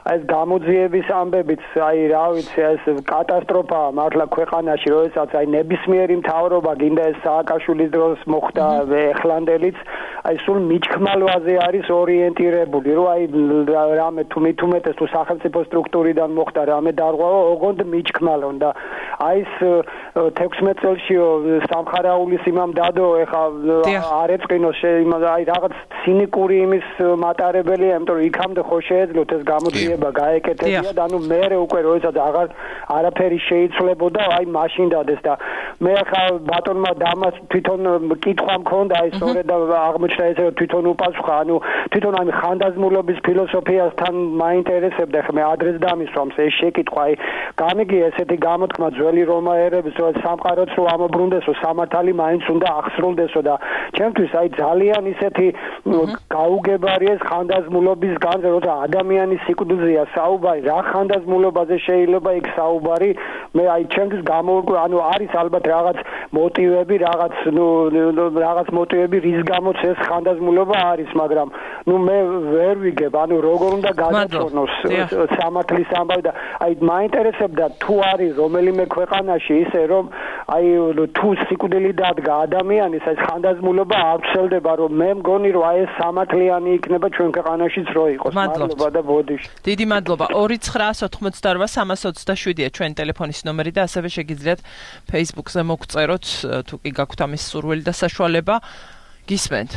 ეს გამოძიების ამბებიც, აი რა ვიცი, ეს კატასტროფაა მართლა ქვეყანაში, როდესაც აი ნებისმიერი მთავრობა გინდა ეს სააკაშვილის დროს მოხდა ეხლანდელიც, აი სულ მიჩქმალვაზე არის ორიენტირებული, რომ აი რამე თუ მithumetes თუ სახელმწიფო სტრუქტურიდან მოხდა რამე დარღვევა, ოღონდ მიჩქმალონ და აი ეს თექვსმეტ წელშიო სამხარაულის იმამ დადო ეხა არ ეწყინოს აი რაღაც ცინიკური იმის მატარებელია, იმიტომ რომ იქამდე ხო შეეძლოთ ეს გამოძიება გაეკეთებიათ, ანუ მე უკვე როდესაც აღარ არაფერი შეიცვლებოდა, აი მაშინ დადეს და მე ხა ბატონმა დამას თვითონ კითხვა მქონდა, აი სწორედ აღმოჩნდა ესე რომ თვითონ უპასუხა, ანუ თვითონ აი ხანდაზმულობის ფილოსოფიასთან მაინტერესებდა, ხა მე ადრეს დამისვამს ეს შეკითხვა, აი გამიგი ესეთი გამოთქმა ძველი რომაელების რომ სამყაროც რო ამობრუნდესო, სამართალი მაინც უნდა ახსრულდესო და ჩემთვის აი ძალიან ისეთი გაუგებარია ეს ხანდაზმულობის განზე, როცა ადამიანის სიკვდილზეა საუბარი, რა ხანდაზმულობაზე შეიძლება იქ საუბარი, მე აი ჩემთვის გამოვიკვე, ანუ არის ალბათ რაღაც მოტივები, რაღაც ნუ რაღაც მოტივები, რის გამოც ეს ხანდაზმულობა არის, მაგრამ ნუ მე ვერ ვიგებ, ანუ როგორ უნდა გადაწონოს სამართლის ამბავი და აი მაინტერესებდა თუ არის რომელიმე ქვეყანაში ისე რომ აი თუ სიკვდილი დადგა ადამიანის ეს ხანდაზმულობა არ ცელდება, რომ მე მგონი რომ აი ეს სამართლიანი იქნება ჩვენ ქვეყანაშიც რო იყოს. მადლობა და ბოდიში. დიდი მადლობა. ორი ცხრა ოცდაოთხ სამას ოცდაშვიდია ჩვენ ტელეფონის ნომერი და ასევე შეგიძლიათ Facebook-ზე მოგწეროთ თუ კი გაქვთ ამის სურვილი და საშუალება. გისმენთ.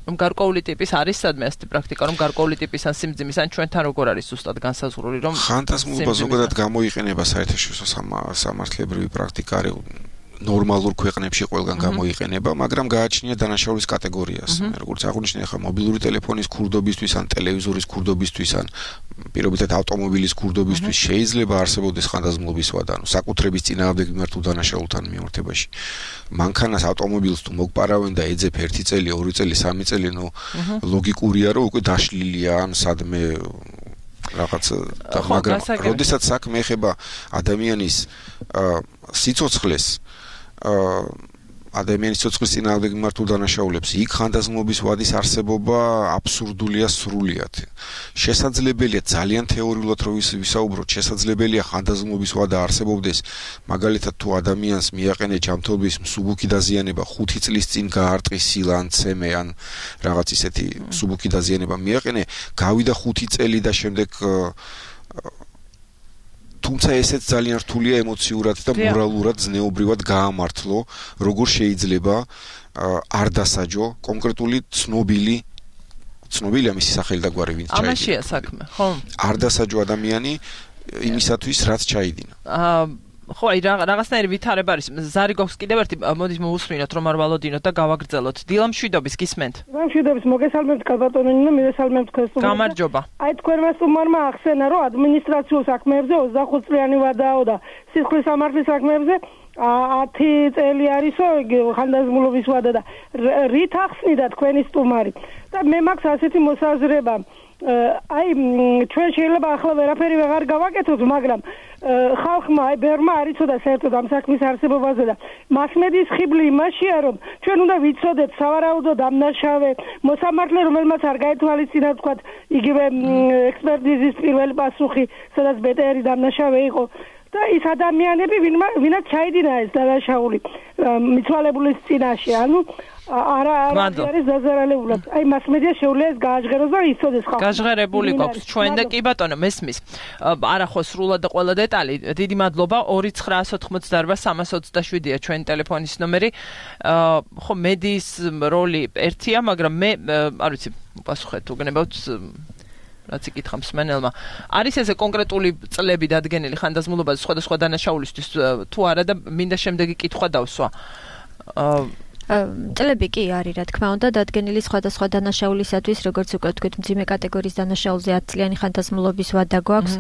რომ გარკვეული ტიპის არის სადმე ასეთი პრაქტიკა, რომ გარკვეული ტიპის ან სიმძიმის ან ჩვენთან როგორ არის ზუსტად განსაზღვრული, რომ ხანდაზმულობა ზოგადად გამოიყენება საერთაშორისო სამართლებრივი პრაქტიკა არის ნორმალურ ქვეყნებში ყველგან გამოიყენება, მაგრამ გააჩნია დანაშაულის კატეგორიას. როგორც აღნიშნე, ხა მობილური ტელეფონის ქურდობისთვის ან ტელევიზორის ქურდობისთვის ან პირობითად ავტომობილის ქურდობისთვის შეიძლება არსებობდეს ხანდაზმულობის ვადა, ანუ საკუთრების წინააღმდეგ მიმართულ დანაშაულთან მიმართებაში. მანქანას ავტომობილს თუ მოგპარავენ და ეძებ ერთი წელი, ორი წელი, სამი წელი, ნუ ლოგიკურია, რომ უკვე დაშლილია ან სადმე რაღაც და მაგრამ როდესაც საქმე ეხება ადამიანის სიცოცხლეს ადამიანის სიცოცხლის წინააღმდეგ მიმართულ დანაშაულებს, იქ ხანდაზმულობის ვადის არსებობა აბსურდულია სრულიად. შესაძლებელია ძალიან თეორიულად რომ ვისაუბროთ, შესაძლებელია ხანდაზმულობის ვადა არსებობდეს, მაგალითად თუ ადამიანს მიაყენე ჯანმრთელობის მსუბუქი დაზიანება, ხუთი წლის წინ გაარტყის სილა ან ცემე ან რაღაც ისეთი მსუბუქი დაზიანება მიაყენე, გავიდა ხუთი წელი და შემდეგ თუმცა ესეც ძალიან რთულია ემოციურად და მორალურად ზნეობრივად გაამართლო, როგორ შეიძლება არ დასაჯო კონკრეტული ცნობილი ცნობილი ამისი სახელი და გვარი ვინც ჩაიდინა. ამაშია საქმე, ხო? არ დასაჯო ადამიანი იმისათვის, რაც ჩაიდინა. აა ხო, აი რაღაცნაირი ვითარება არის. ზარი გვაქვს კიდევ ერთი, მოდით მოусმინოთ რომ არ ვალოდინოთ და გავაგრძელოთ. დილა მშვიდობის გისმენთ. მშვიდობის, მოგესალმებთ კალბატონი და მივესალმებთ ქესტუმარს. გამარჯობა. აი თქვენმა სტუმარმა ახსენა რომ ადმინისტრაციულ საქმეებზე ოცდახუთ წლიანი ვადაო და სისხლის სამართლის საქმეებზე ათი წელი არისო ხანდაზმულობის ვადა და რით ახსნიდა თქვენი სტუმარი. და მე მაქვს ასეთი მოსაზრება. აი ჩვენ შეიძლება ახლა ვერაფერი ვეღარ გავაკეთოთ, მაგრამ ხალხმა აი ბერმა არ იცოდა საერთოდ ამ საქმის არსებობაზე და მასმედიის ხიბლი იმაშია, რომ ჩვენ უნდა ვიცოდეთ სავარაუდო დამნაშავე მოსამართლე, რომელმაც არ გაეთვალისწინა თქვა იგივე ექსპერტიზის პირველი პასუხი, სადაც ბეტერი დამნაშავე იყო და ის ადამიანები ვინაც ჩაიდინა ეს დანაშაული მიცვალებულის წინაშე, ანუ არა არის დაზარალებულად. აი მასმედია შეუძლია ეს გააჟღეროს და იცოდეს ხალხი. გაჟღერებული გვაქვს ჩვენ და კი ბატონო მესმის. არა ხო სრულად და ყველა დეტალი. დიდი მადლობა. ორი ცხრა ოცდაოთხ სამას ოცდაშვიდია ჩვენი ტელეფონის ნომერი. ხო მედიის როლი ერთია, მაგრამ მე არ ვიცი, პასუხეთ თუ გნებავთ რაც იკითხა მსმენელმა. არის ესე კონკრეტული წლები დადგენილი ხანდაზმულობაზე სხვადასხვა დანაშაულისთვის თუ არა და მინდა შემდეგი კითხვა დავსვა. წლები კი არის, რა თქმა უნდა, დადგენილი სხვადასხვა დანაშაულისათვის, როგორც უკვე თქვით, მძიმე კატეგორიის დანაშაულზე ათი წლიანი ხანდაზმულობის ვადა გვაქვს.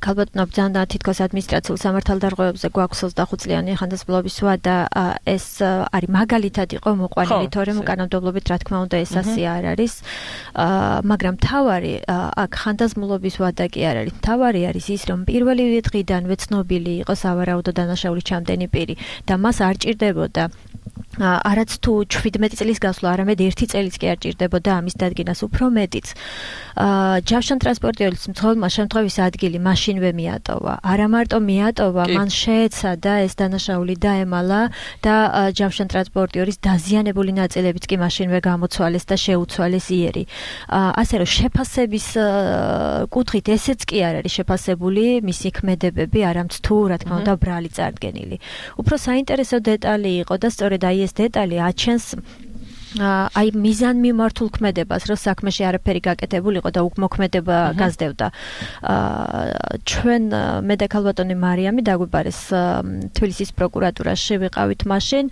ქალბატონო ბრძანა თითქოს ადმინისტრაციულ სამართალდარღვევებზე გვაქვს ოცდახუთ წლიანი ხანდაზმულობის ვადა. ეს არის მაგალითად იყო მოყვანილი, თორემ უკანონმდებლობით, რა თქმა უნდა, ეს ასე არ არის. მაგრამ თავარი აქ ხანდაზმულობის ვადა კი არ არის. თავარი არის ის, რომ პირველი დღიდანვე ცნობილი იყო სავარაუდო დანაშაულის ჩამდენი პირი და მას არ ჭირდებოდა არაც თუ შვიდმეტი წლის გასვლა, არამედ ერთი წელიც კი არ ჭირდებოდა ამის დადგენას, უფრო მეტიც. ჯავშან ტრანსპორტიორის მცხოვრებმა შემთხვევის ადგილი მაშინვე მიატოვა. არა მარტო მიატოვა, მან შეეცადა ეს დანაშაული დაემალა და ჯავშან ტრანსპორტიორის დაზიანებული ნაწილებიც კი მაშინვე გამოცვალეს და შეუცვალეს იერი. ასე რომ შეფასების კუთხით ესეც კი არ არის შეფასებული მისი ქმედებები, არამც თუ რა თქმა უნდა ბრალი წარდგენილი. უფრო საინტერესო დეტალი იყო და სწორედ აი ეს დეტალი აჩენს აი მიზან მიმართულ ქმედებას, რომ საქმეში არაფერი გაკეთებულიყო და უკმოქმედება გაზრდებდა. ჩვენ მე და ქალბატონი მარიამი დაგვიბარეს თბილისის პროკურატურაში ვიყავით მაშინ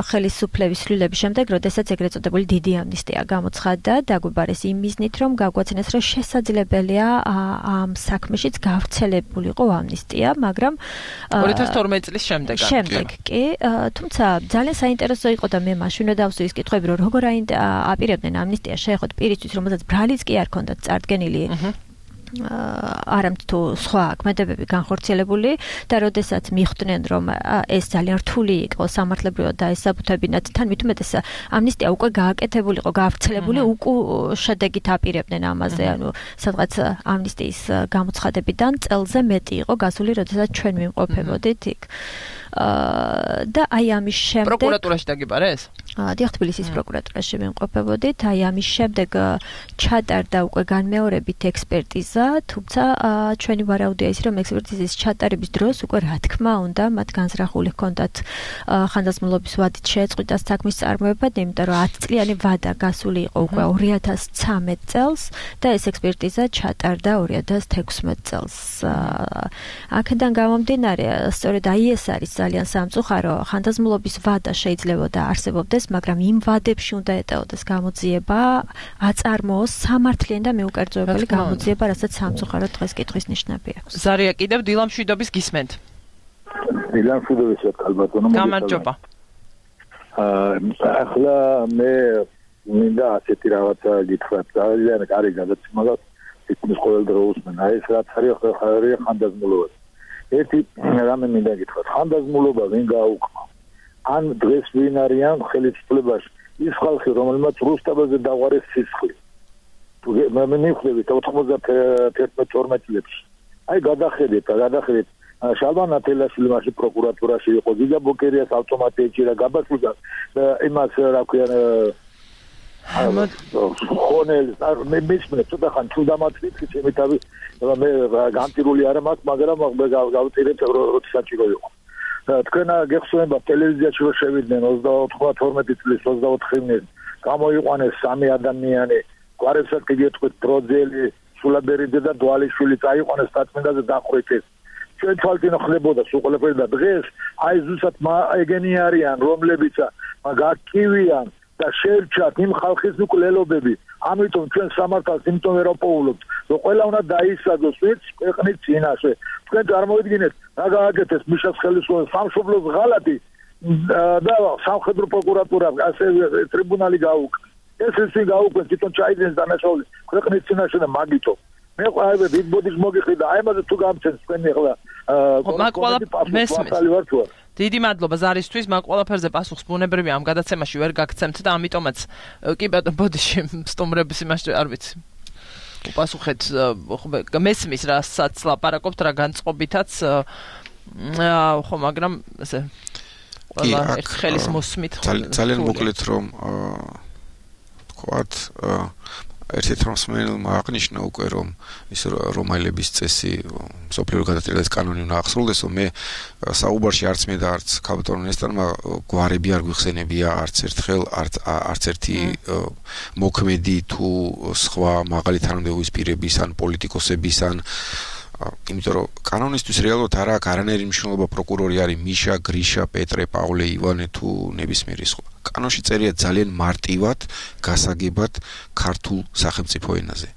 ხელისუფლების ცვლილების შემდეგ, როდესაც ეგრეთ წოდებული დიდი ამნისტია გამოცხადდა, დაგვიბარეს იმ მიზნით, რომ გაგვაცნეს, რომ შესაძლებელია ამ საქმეშიც გავრცელებულიყო ამნისტია, მაგრამ ორი ათას თორმეტი წლის შემდეგ. შემდეგ კი, თუმცა ძალიან საინტერესო იყო და მე მაშინვე ის კითხვები, რომ როგორ აპირებდნენ ამნისტიას შეეხოთ პირისთვის, რომელსაც ბრალიც კი არ ჰქონდათ წარდგენილი, არამედ თუ სხვა ქმედებები განხორციელებული და როდესაც მიხვდნენ, რომ ეს ძალიან რთული იყო სამართლებრივად დაესაბუთებინათ, თან მით უმეტეს ამნისტია უკვე გააკეთებულიყო, გავრცელებული, უკვე შედეგით აპირებდნენ ამაზე, ანუ სადღაც ამნისტიის გამოცხადებიდან წელზე მეტი იყო გასული, როდესაც ჩვენ ვიმყოფებოდით იქ. და აი ამის შემდეგ პროკურატურაში დაგიბარეს? დიახ, თბილისის პროკურატურაში ვიმყოფებოდით. აი ამის შემდეგ ჩატარდა უკვე განმეორებით ექსპერტიზა, თუმცა ჩვენი ვარაუდია ის, რომ ექსპერტიზის ჩატარების დროს უკვე რა თქმა უნდა მათ განზრახული ჰქონდათ ხანდაზმულობის ვადით შეეწყვიტა საქმის წარმოება, იმიტომ რომ ათი წლიანი ვადა გასული იყო უკვე ორი ათას ცხრამეტ წელს და ეს ექსპერტიზა ჩატარდა ორი ათას თექვსმეტ წელს. აქედან გამომდინარე, სწორედ აი ეს არის ძალიან სამწუხარო, ხანდაზმულობის ვადა შეიძლება და არსებობდეს, მაგრამ იმ ვადებში უნდა ეტეოდეს გამოძიება, აწარმოოს სამართლიანი და მეუკერძოებელი გამოძიება, რასაც სამწუხაროდ დღეს კითხვის ნიშნები აქვს. ზარია, კიდევ დილამ შვიდობის გისმენთ. დილამ შვიდობის ქალბატონო. გამარჯობა. ახლა მე მინდა ასეთი რაღაცა გითხრათ, ძალიან კარგი გადაცემა გაქვს, თითქმის ყოველ დრო უსმენ. აი ეს რაც არის ხარია ხანდაზმულობა. ერთი რამე მინდა გითხრათ, ხანდაზმულობა ვინ გააუქმა? ან დღეს ვინ არიან ხელისუფლებაში? ის ხალხი, რომელმაც რუსთავაზე დაღვარეს სისხლი. მე მივხვდებით ოთხმოცდათერთმეტ თორმეტ წლებში. აი გადახედეთ, გადახედეთ. შალვან ათელაშვილი მაშინ პროკურატურაში იყო, ზიგა ბოკერიას ავტომატი ეჭირა გაბაშვილს იმას რა ქვია ხონელს მე მისმენე ცოტა ხან თუ დამატვით ჩემი თავი მე განტირული არ მაქვს, მაგრამ მე გავწირეთ როცა საჭირო იყო. თქვენ გეხსოვნება ტელევიზიაში რომ შევიდნენ ოცდაოთხ თორმეტი წლის ოცდაოთხ ივნისს გამოიყვანეს სამი ადამიანი, გვარებსაც გიგეთქვით დროძელი, სულაბერიძე და დვალიშვილი წაიყვანეს დაწმინდაზე დახვრიტეს. ჩვენ თვალწინ ხდებოდა სულ ყველაფერი და დღეს აი ზუსტად ეგენი არიან, რომლებიც გაკივიან და შეერჩათ იმ ხალხის მკვლელობები. ამიტომ ჩვენ სამართალს იმიტომ ვერ ვაპოულობთ, რომ ყველა უნდა დაისაძოს ვინც ქვეყნის წინაშე. თქვენ წარმოვიდგინეთ, რა გააკეთეს მიშას ხელისუფლებას სამშობლოს ღალატი და სამხედრო პროკურატურა, ასე ტრიბუნალი გაუქმდა. ეს ისე გაუქმდა, თვითონ ჩაიძინეს დანაშაული ქვეყნის წინაშე და მაგითო. მე ყველა დიდ ბოდიშ მოგიხდი და აი ამაზე თუ გამცემს თქვენი ახლა მაგ ყველა მესმის. დიდი მადლობა ზარისთვის, მაგ ყველაფერზე პასუხს ბუნებრივია ამ გადაცემაში ვერ გაგცემთ და ამიტომაც კი ბატონ ბოდიში სტუმრების იმაში არ ვიცი. უპასუხეთ მესმის რასაც ლაპარაკობთ, რა განწყობითაც ხო, მაგრამ ესე ყველა ერთ ხელის მოსმით ძალიან მოკლედ რომ თქვათ ერთ-ერთ რამსმენელმა აღნიშნა უკვე რომ ის რომაელების წესი სოფლიურ გადატრიალების კანონი უნდა აღსრულდეს, რომ მე საუბარში არც მე და არც ქალბატონ ნესტარმა გვარები არ გვიხსენებია არც ერთხელ, არც ერთი მოქმედი თუ სხვა მაღალი თანამდებობის პირების ან პოლიტიკოსების ან იმიტომ რომ კანონისთვის რეალურად არ აქვს არანაირი მნიშვნელობა პროკურორი არის მიშა, გრიშა, პეტრე, პავლე, ივანე თუ ნებისმიერი სხვა. კანონში წერია ძალიან მარტივად, გასაგებად ქართულ სახელმწიფო ენაზე.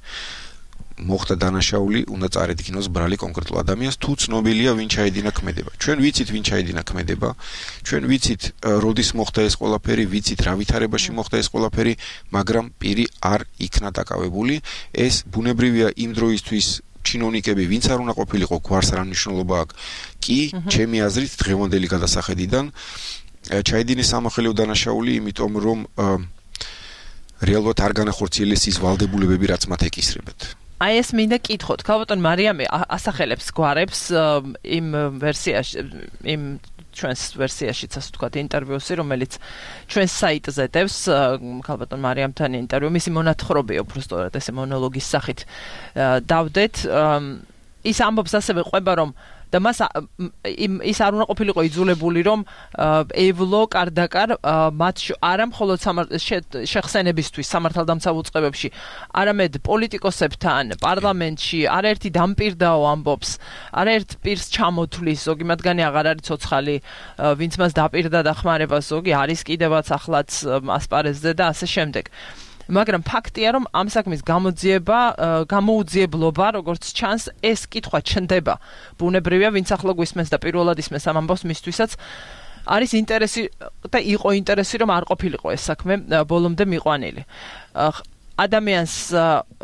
მოხდა დანაშაული, უნდა წარედგინოს ბრალი კონკრეტულ ადამიანს, თუ ცნობილია ვინ ჩაედინა ქმედება. ჩვენ ვიცით ვინ ჩაედინა ქმედება, ჩვენ ვიცით როდის მოხდა ეს ყველაფერი, ვიცით რა ვითარებაში მოხდა ეს ყველაფერი, მაგრამ პირი არ იქნა დაკავებული. ეს ბუნებრივია იმ დროისთვის ჩინოვნიკები, ვინც არ უნდა ყოფილიყო, გვარს რა მნიშვნელობა აქვს. კი, ჩემი აზრით, დღევანდელი გადასახედიდან ჩაიდინის სამოხელეო დანაშაული, იმიტომ რომ რეალურად არ განახორციელეს ის ვალდებულებები, რაც მათ ეკისრებათ. აი ეს მინდა კითხოთ, ქალბატონ მარიამი ასახელებს გვარებს იმ ვერსიაში, იმ ჩვენს ვერსიაშიც ასე ვთქვათ ინტერვიუსი, რომელიც ჩვენს საიტზე დევს ქალბატონ მარიამთან ინტერვიუ, მისი მონათხრობია უბრალოდ ესე მონოლოგის სახით დავდეთ. ის ამბობს ასევე ყვება, რომ და მას ის არ უნდა ყოფილიყო იძულებული, რომ ევლო კარდაკარ მათ არა მხოლოდ შეხსენებისთვის სამართალდამცავ უწყებებში, არამედ პოლიტიკოსებთან პარლამენტში არაერთი დამპირდაო ამბობს, არაერთ პირს ჩამოთვლის, ზოგი მათგანი აღარ არის ცოცხალი, ვინც მას დაპირდა დახმარება, ზოგი არის კიდევაც ახლაც ასპარეზზე და ასე შემდეგ. მაგრამ ფაქტია, რომ ამ საქმის გამოძიება, გამოუძიებლობა, როგორც ჩანს, ეს კითხვა ჩნდება. ბუნებრივია, ვინც ახლა გვისმენს და პირველად ისმენს ამ ამბავს, მისთვისაც არის ინტერესი და იყო ინტერესი, რომ არ ყოფილიყო ეს საქმე ბოლომდე მიყვანილი. ადამიანს,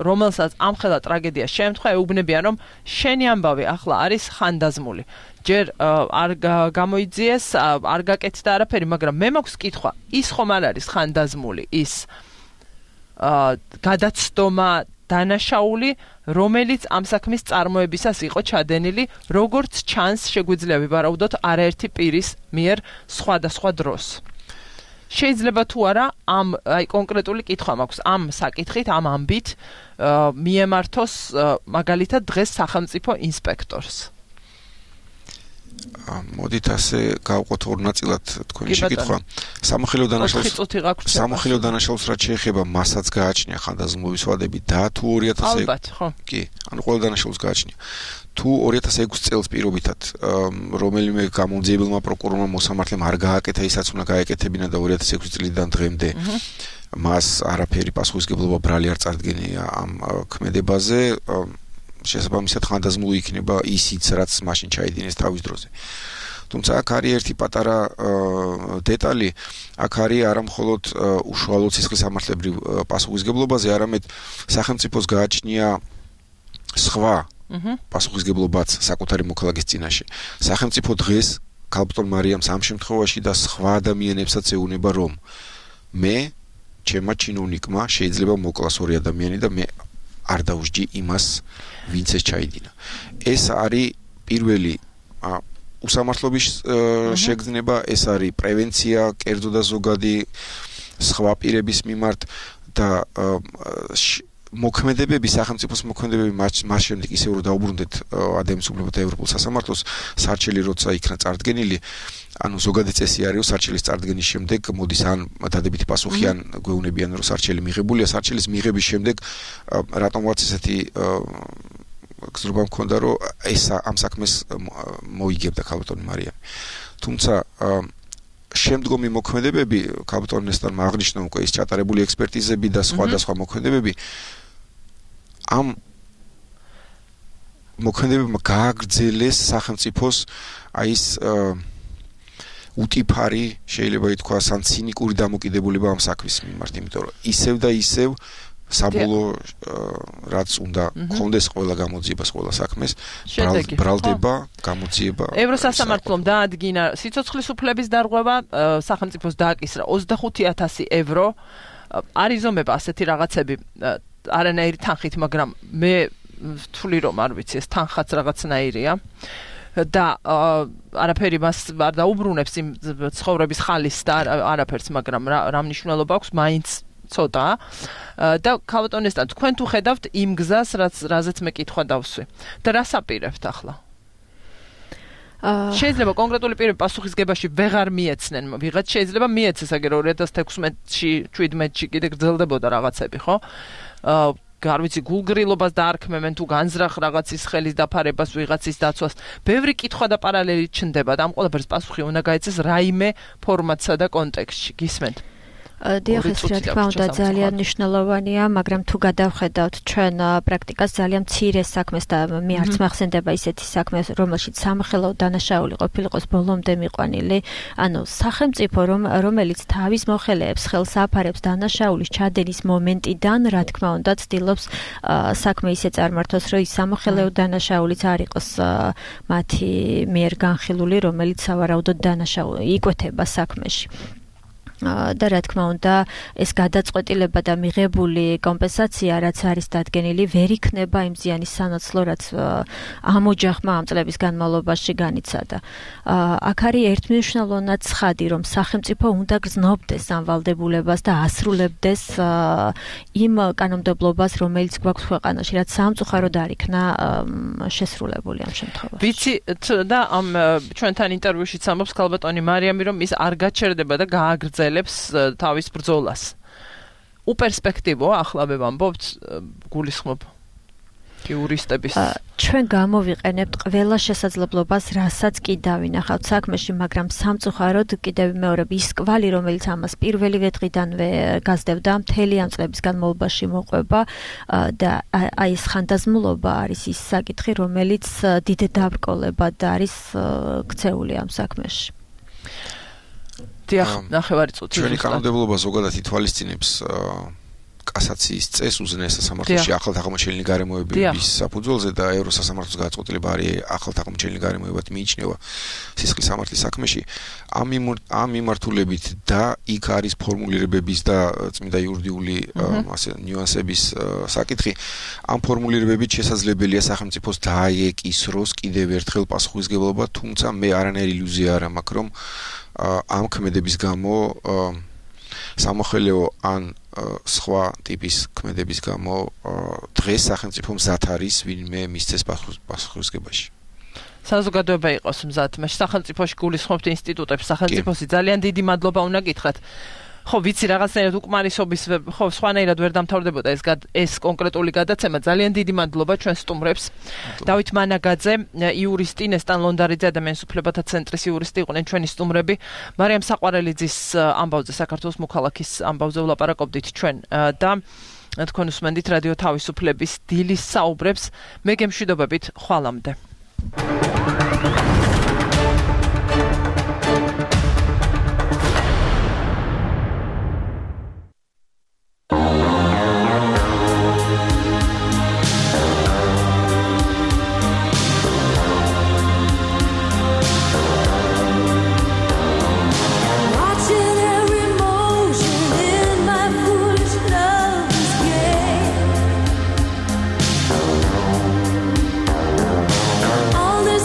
რომელსაც ამხელა ტრაგედია შეემთხვა, ეუბნებიან, რომ შენი ამბავი ახლა არის ხანდაზმული. ჯერ არ გამოიძიეს, არ გაკეთდა არაფერი, მაგრამ მე მაქვს კითხვა, ის ხომ არ არის ხანდაზმული, ის გადაცდომა დანაშაული, რომელიც ამ საქმის წარმოებისას იყო ჩადენილი, როგორც ჩანს, შეგვიძლია ვივარაუდოთ არაერთი პირის მიერ სხვადასხვა დროს. შეიძლება თუ არა ამ აი კონკრეტული კითხვა მაქვს ამ საკითხით, ამ ამბით მიემართოს მაგალითად დღეს სახელმწიფო ინსპექტორს. მოდით ასე გავყოთ ორ ნაწილად თქვენი შეკითხვა. სამოხელეო დანაშაულს სამოხელეო დანაშაულს რაც შეეხება, მასაც გააჩნია ხანდაზმულობის ვადები და თუ ორი ათას ალბათ, ხო. კი, ანუ ყველა დანაშაულს გააჩნია. თუ ორი ათას ექვსი წელს პირობითად რომელიმე გამოძიებელმა პროკურორმა მოსამართლემ არ გააკეთა ისაც უნდა გაეკეთებინა და ორი ათას ექვსი წლიდან დღემდე მას არაფერი პასუხისგებლობა ბრალი არ წარდგენია ამ ქმედებაზე, შესაბამისად ხანდაზმული იქნება ისიც, რაც მაშინ ჩაიდინეს თავის დროზე. თუმცა აქ არის ერთი პატარა დეტალი, აქ არის არა მხოლოდ უშუალო სისხლისამართლებრივ პასუხისგებლობაზე, არამედ სახელმწიფოს გააჩნია სხვა პასუხისგებლობაც საკუთარი მოქალაქის წინაშე. სახელმწიფო დღეს ქალბატონ მარიამს ამ შემთხვევაში და სხვა ადამიანებსაც ეუბნება, რომ მე ჩემმა ჩინოვნიკმა შეიძლება მოკლას ორი ადამიანი და მე არ დაუსჯი იმას, ვინც ეს ჩაიდინა. ეს არის პირველი უსამართლობის შეგრძნება, ეს არის პრევენცია, კერძო და ზოგადი სხვა პირების მიმართ და მოქმედებები, სახელმწიფოს მოქმედებები მას შემდეგ ისე რომ დაუბრუნდეთ ადამიანის უფლებათა ევროპულ სასამართლოს, სარჩელი როცა იქნა წარდგენილი, ანუ ზოგადი წესი არის, რომ სარჩელის წარდგენის შემდეგ მოდის ან დადებითი პასუხი, ან გვეუბნებიან, რომ სარჩელი მიღებულია, სარჩელის მიღების შემდეგ რატომღაც ესეთი გზრობა მქონდა, რომ ეს ამ საქმეს მოიგებდა ქალბატონი მარიამი. თუმცა შემდგომი მოქმედებები, ქალბატონ ნესტორმა აღნიშნა უკვე ის ჩატარებული ექსპერტიზები და სხვადასხვა მოქმედებები ამ მოქმედებებმა გააგრძელეს სახელმწიფოს აი ეს უტიფარი, შეიძლება ითქვა, ან ცინიკური დამოკიდებულება ამ საქმის მიმართ, იმიტომ რომ ისევ და ისევ საბოლოო რაც უნდა კონდეს ყველა გამოძიებას, ყველა საქმეს, ბრალდება გამოძიება. ევროსასამართლომ დაადგინა სიცოცხლის უფლების დარღვევა, სახელმწიფოს დააკისრა ოცდახუთი ათასი ევრო. არიზომება ასეთი რაღაცები არანაირი თანხით, მაგრამ მე ვთვლი რომ არ ვიცი, ეს თანხაც რაღაცნაირია. და არაფერი მას არ დაუბრუნებს იმ ცხოვრების ხალის და არაფერს, მაგრამ რა მნიშვნელობა აქვს, მაინც ცოტა. და ქალბატონესთან თქვენ თუ ხედავთ იმ გზას, რაც რაზეც მე კითხვა დავსვი. და რას აპირებთ ახლა? შეიძლება კონკრეტული პირები პასუხისგებაში ვეღარ მიეცნენ, ვიღაც შეიძლება მიეცეს, აგერ ორი ათას თექვსმეტში, შვიდმეტში კიდე გრძელდებოდა რაღაცები, ხო? არ ვიცი, გულგრილობას დაარქმევენ თუ განზრახ რაღაცის ხელის დაფარებას, ვიღაცის დაცვას. ბევრი კითხვა და პარალელი ჩნდება და ამ ყველაფერს პასუხი უნდა გაეცეს რაიმე ფორმატსა და კონტექსტში. გისმენთ? დიახ, ეს რა თქმა უნდა ძალიან მნიშვნელოვანია, მაგრამ თუ გადავხედავთ ჩვენ პრაქტიკას ძალიან მცირე საქმეს და მე არც მახსენდება ისეთი საქმე, რომელშიც სამხელო დანაშაული ყოფილიყოს ბოლომდე მიყვანილი, ანუ სახელმწიფო რომელიც თავის მოხელეებს ხელს აფარებს დანაშაულის ჩადენის მომენტიდან, რა თქმა უნდა, ცდილობს საქმე ისე წარმართოს, რომ ის სამოხელეო დანაშაულიც არ იყოს მათი მიერ განხილული, რომელიც სავარაუდოდ დანაშაული იკვეთება საქმეში. და რა თქმა უნდა ეს გადაწყვეტილება და მიღებული კომპენსაცია რაც არის დადგენილი ვერ იქნება იმ ზიანის სანაცვლო რაც ამ ოჯახმა ამ წლების განმავლობაში განიცადა. აქ არის ერთმნიშვნელოვნად ცხადი რომ სახელმწიფო უნდა გრძნობდეს ამ ვალდებულებას და ასრულებდეს იმ კანონმდებლობას რომელიც გვაქვს ქვეყანაში რაც სამწუხაროდ არ იქნა შესრულებული ამ შემთხვევაში. ვიცი და ამ ჩვენთან ინტერვიუშიც ამბობს ქალბატონი მარიამი რომ ის არ გაჩერდება და გააგრძელებს თავის ბრძოლას. უპერსპექტივო ახლა მე ვამბობთ გულისხმობ იურისტების. ჩვენ გამოვიყენებთ ყველა შესაძლებლობას, რასაც კი დავინახავთ საქმეში, მაგრამ სამწუხაროდ კიდევ მეორე ის კვალი, რომელიც ამას პირველივე დღიდანვე გაზრდებდა, მთელი ამ წლების განმავლობაში მოყვება და აი ეს ხანდაზმულობა არის ის საკითხი, რომელიც დიდ დაბრკოლებად არის ქცეული ამ საქმეში. დიახ, ნახევარი წუთი. ჩვენი კანონმდებლობა ზოგადად ითვალისწინებს კასაციის წესს უზენაეს სასამართლოში ახლადაღმოჩენილი გარემოებების საფუძველზე და ევროსასამართლოს გადაწყვეტილება არის ახლადაღმოჩენილი გარემოებად მიიჩნევა სისხლის სამართლის საქმეში. ამ მიმართულებით და იქ არის ფორმულირებების და წმინდა იურიდიული ასე ნიუანსების საკითხი. ამ ფორმულირებებით შესაძლებელია სახელმწიფოს დააეკისროს კიდევ ერთხელ პასუხისმგებლობა, თუმცა მე არანაირი ილუზია არ მაქვს, რომ ამ ქმედების გამო სამოხელეო ან სხვა ტიპის ქმედების გამო დღეს სახელმწიფო მზად არის ვინმე მისცეს პასუხისმგებაში. საზოგადოება იყოს მზად. მე სახელმწიფოში გულისხმობთ ინსტიტუტებს, სახელმწიფოსი ძალიან დიდი მადლობა უნდა გითხრათ. ხო, ვიცი რაღაცნაირად უკმარისობის, ხო, სხვანაირად ვერ დამთავრდებოდა ეს ეს კონკრეტული გადაცემა. ძალიან დიდი მადლობა ჩვენ სტუმრებს. დავით მანაგაძე, იურისტი, ნესტან ლონდარიძე ადამიანის უფლებათა ცენტრის იურისტი იყვნენ ჩვენი სტუმრები. მარიამ საყვარელიძის ამბავზე, საქართველოს მოქალაქის ამბავზე ვლაპარაკობდით ჩვენ და თქვენ უსმენდით რადიო თავისუფლების დილის საუბრებს. მე გემშვიდობებით ხვალამდე. All this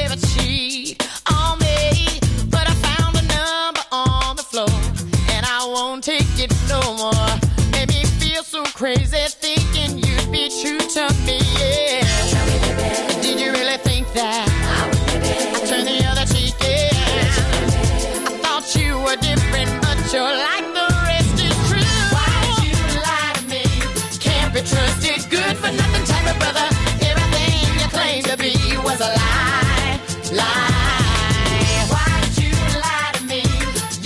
ever cheat on me, but I found a number on the floor, and I won't take it no more. Made me feel so crazy thinking you'd be true to me, yeah. Tell me, baby, did you really think that I would, baby, I turned the other cheek, yeah. I thought you were different, but you're like the rest is true. Why'd you lie to me? Can't be trusted, good for nothing type of brother. Everything you claimed to be was a lie, lie. Why'd you lie to me?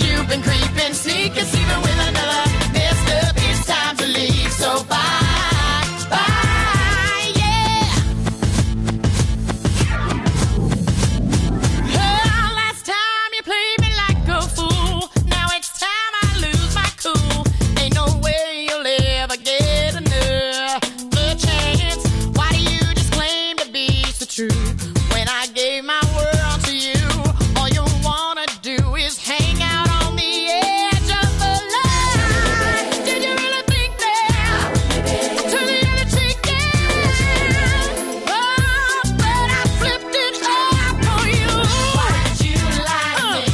You've been creeping, sneaking, sleeping with another. Messed up, it's time to leave, so bye, bye, yeah. Oh, last time you played me like a fool. Now it's time I lose my cool. Ain't no way you'll ever get another chance. Why do you just claim to be so true? When I gave my world to you, all you wanna do is hang out on the edge of the line. Did you really think that? Turn the other cheek, yeah. Oh, but I flipped it up on you. Why'd you lie to me?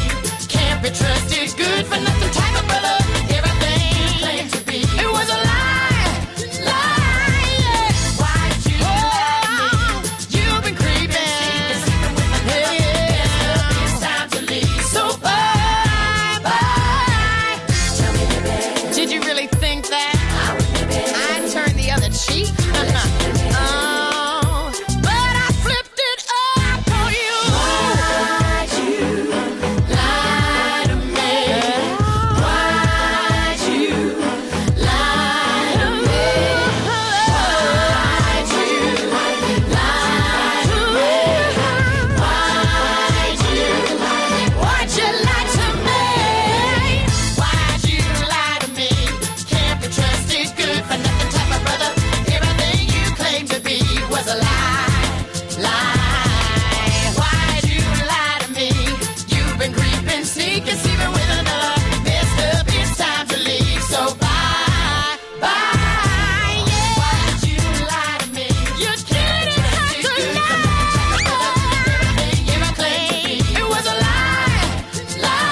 Can't be trusted, good for nothing type of brother. Everything you claimed to be, it was a lie, lie, yeah. Why'd you lie to me? You've been creeping, yeah, yeah. It's time to leave, so bye, bye. Tell me, baby, did you really think that I'd turn the other cheek? Oh, but I flipped it up on you. Why'd you lie to me? Why'd you lie to me? Why'd you lie to me? Why'd you, why'd you lie to me? Why'd you lie to me? Can't be trusted, good for nothing type of brother. Everything you claimed to be was a lie, lie. Why'd you lie to me? You've been creeping, sneaking, sleeping with another. Messed up, it's time to leave, so bye, bye, yeah. Why'd you lie to me? You didn't have to lie. Everything you claimed, it was a lie, lie,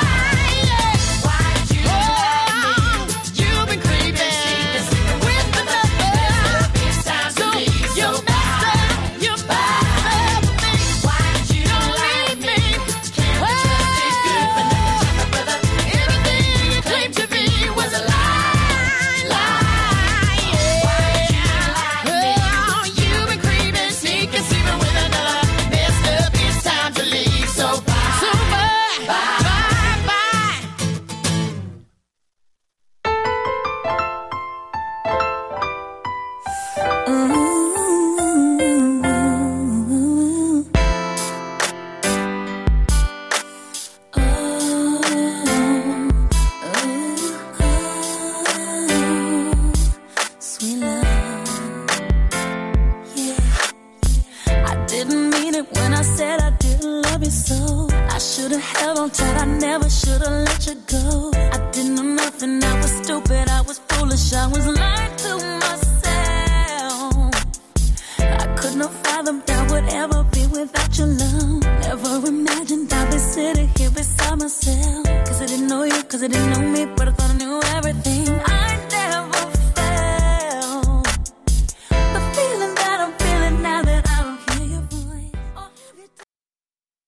yeah. Why'd you lie to me? You've been creeping, with another. It's time to leave, so bye, you messed up with me. Why'd you lie to me? Can't be trusted, good for nothing type of brother. Everything you claimed to be was a lie, lie, yeah. Why'd you lie to me? Oh, you've been creeping, sneaking, sleeping with another. Messed up, it's time to leave, so bye, so bye, bye, bye. Sweet love, yeah. I didn't mean it when I said I didn't love you so. I should've held on tight, I never should've let you go. I didn't know nothing, I was stupid, I was foolish, I was lying to myself. I could not fathom that would ever be without your love. Never imagined I'd be sitting here beside myself. Cause I didn't know you, cause I didn't know me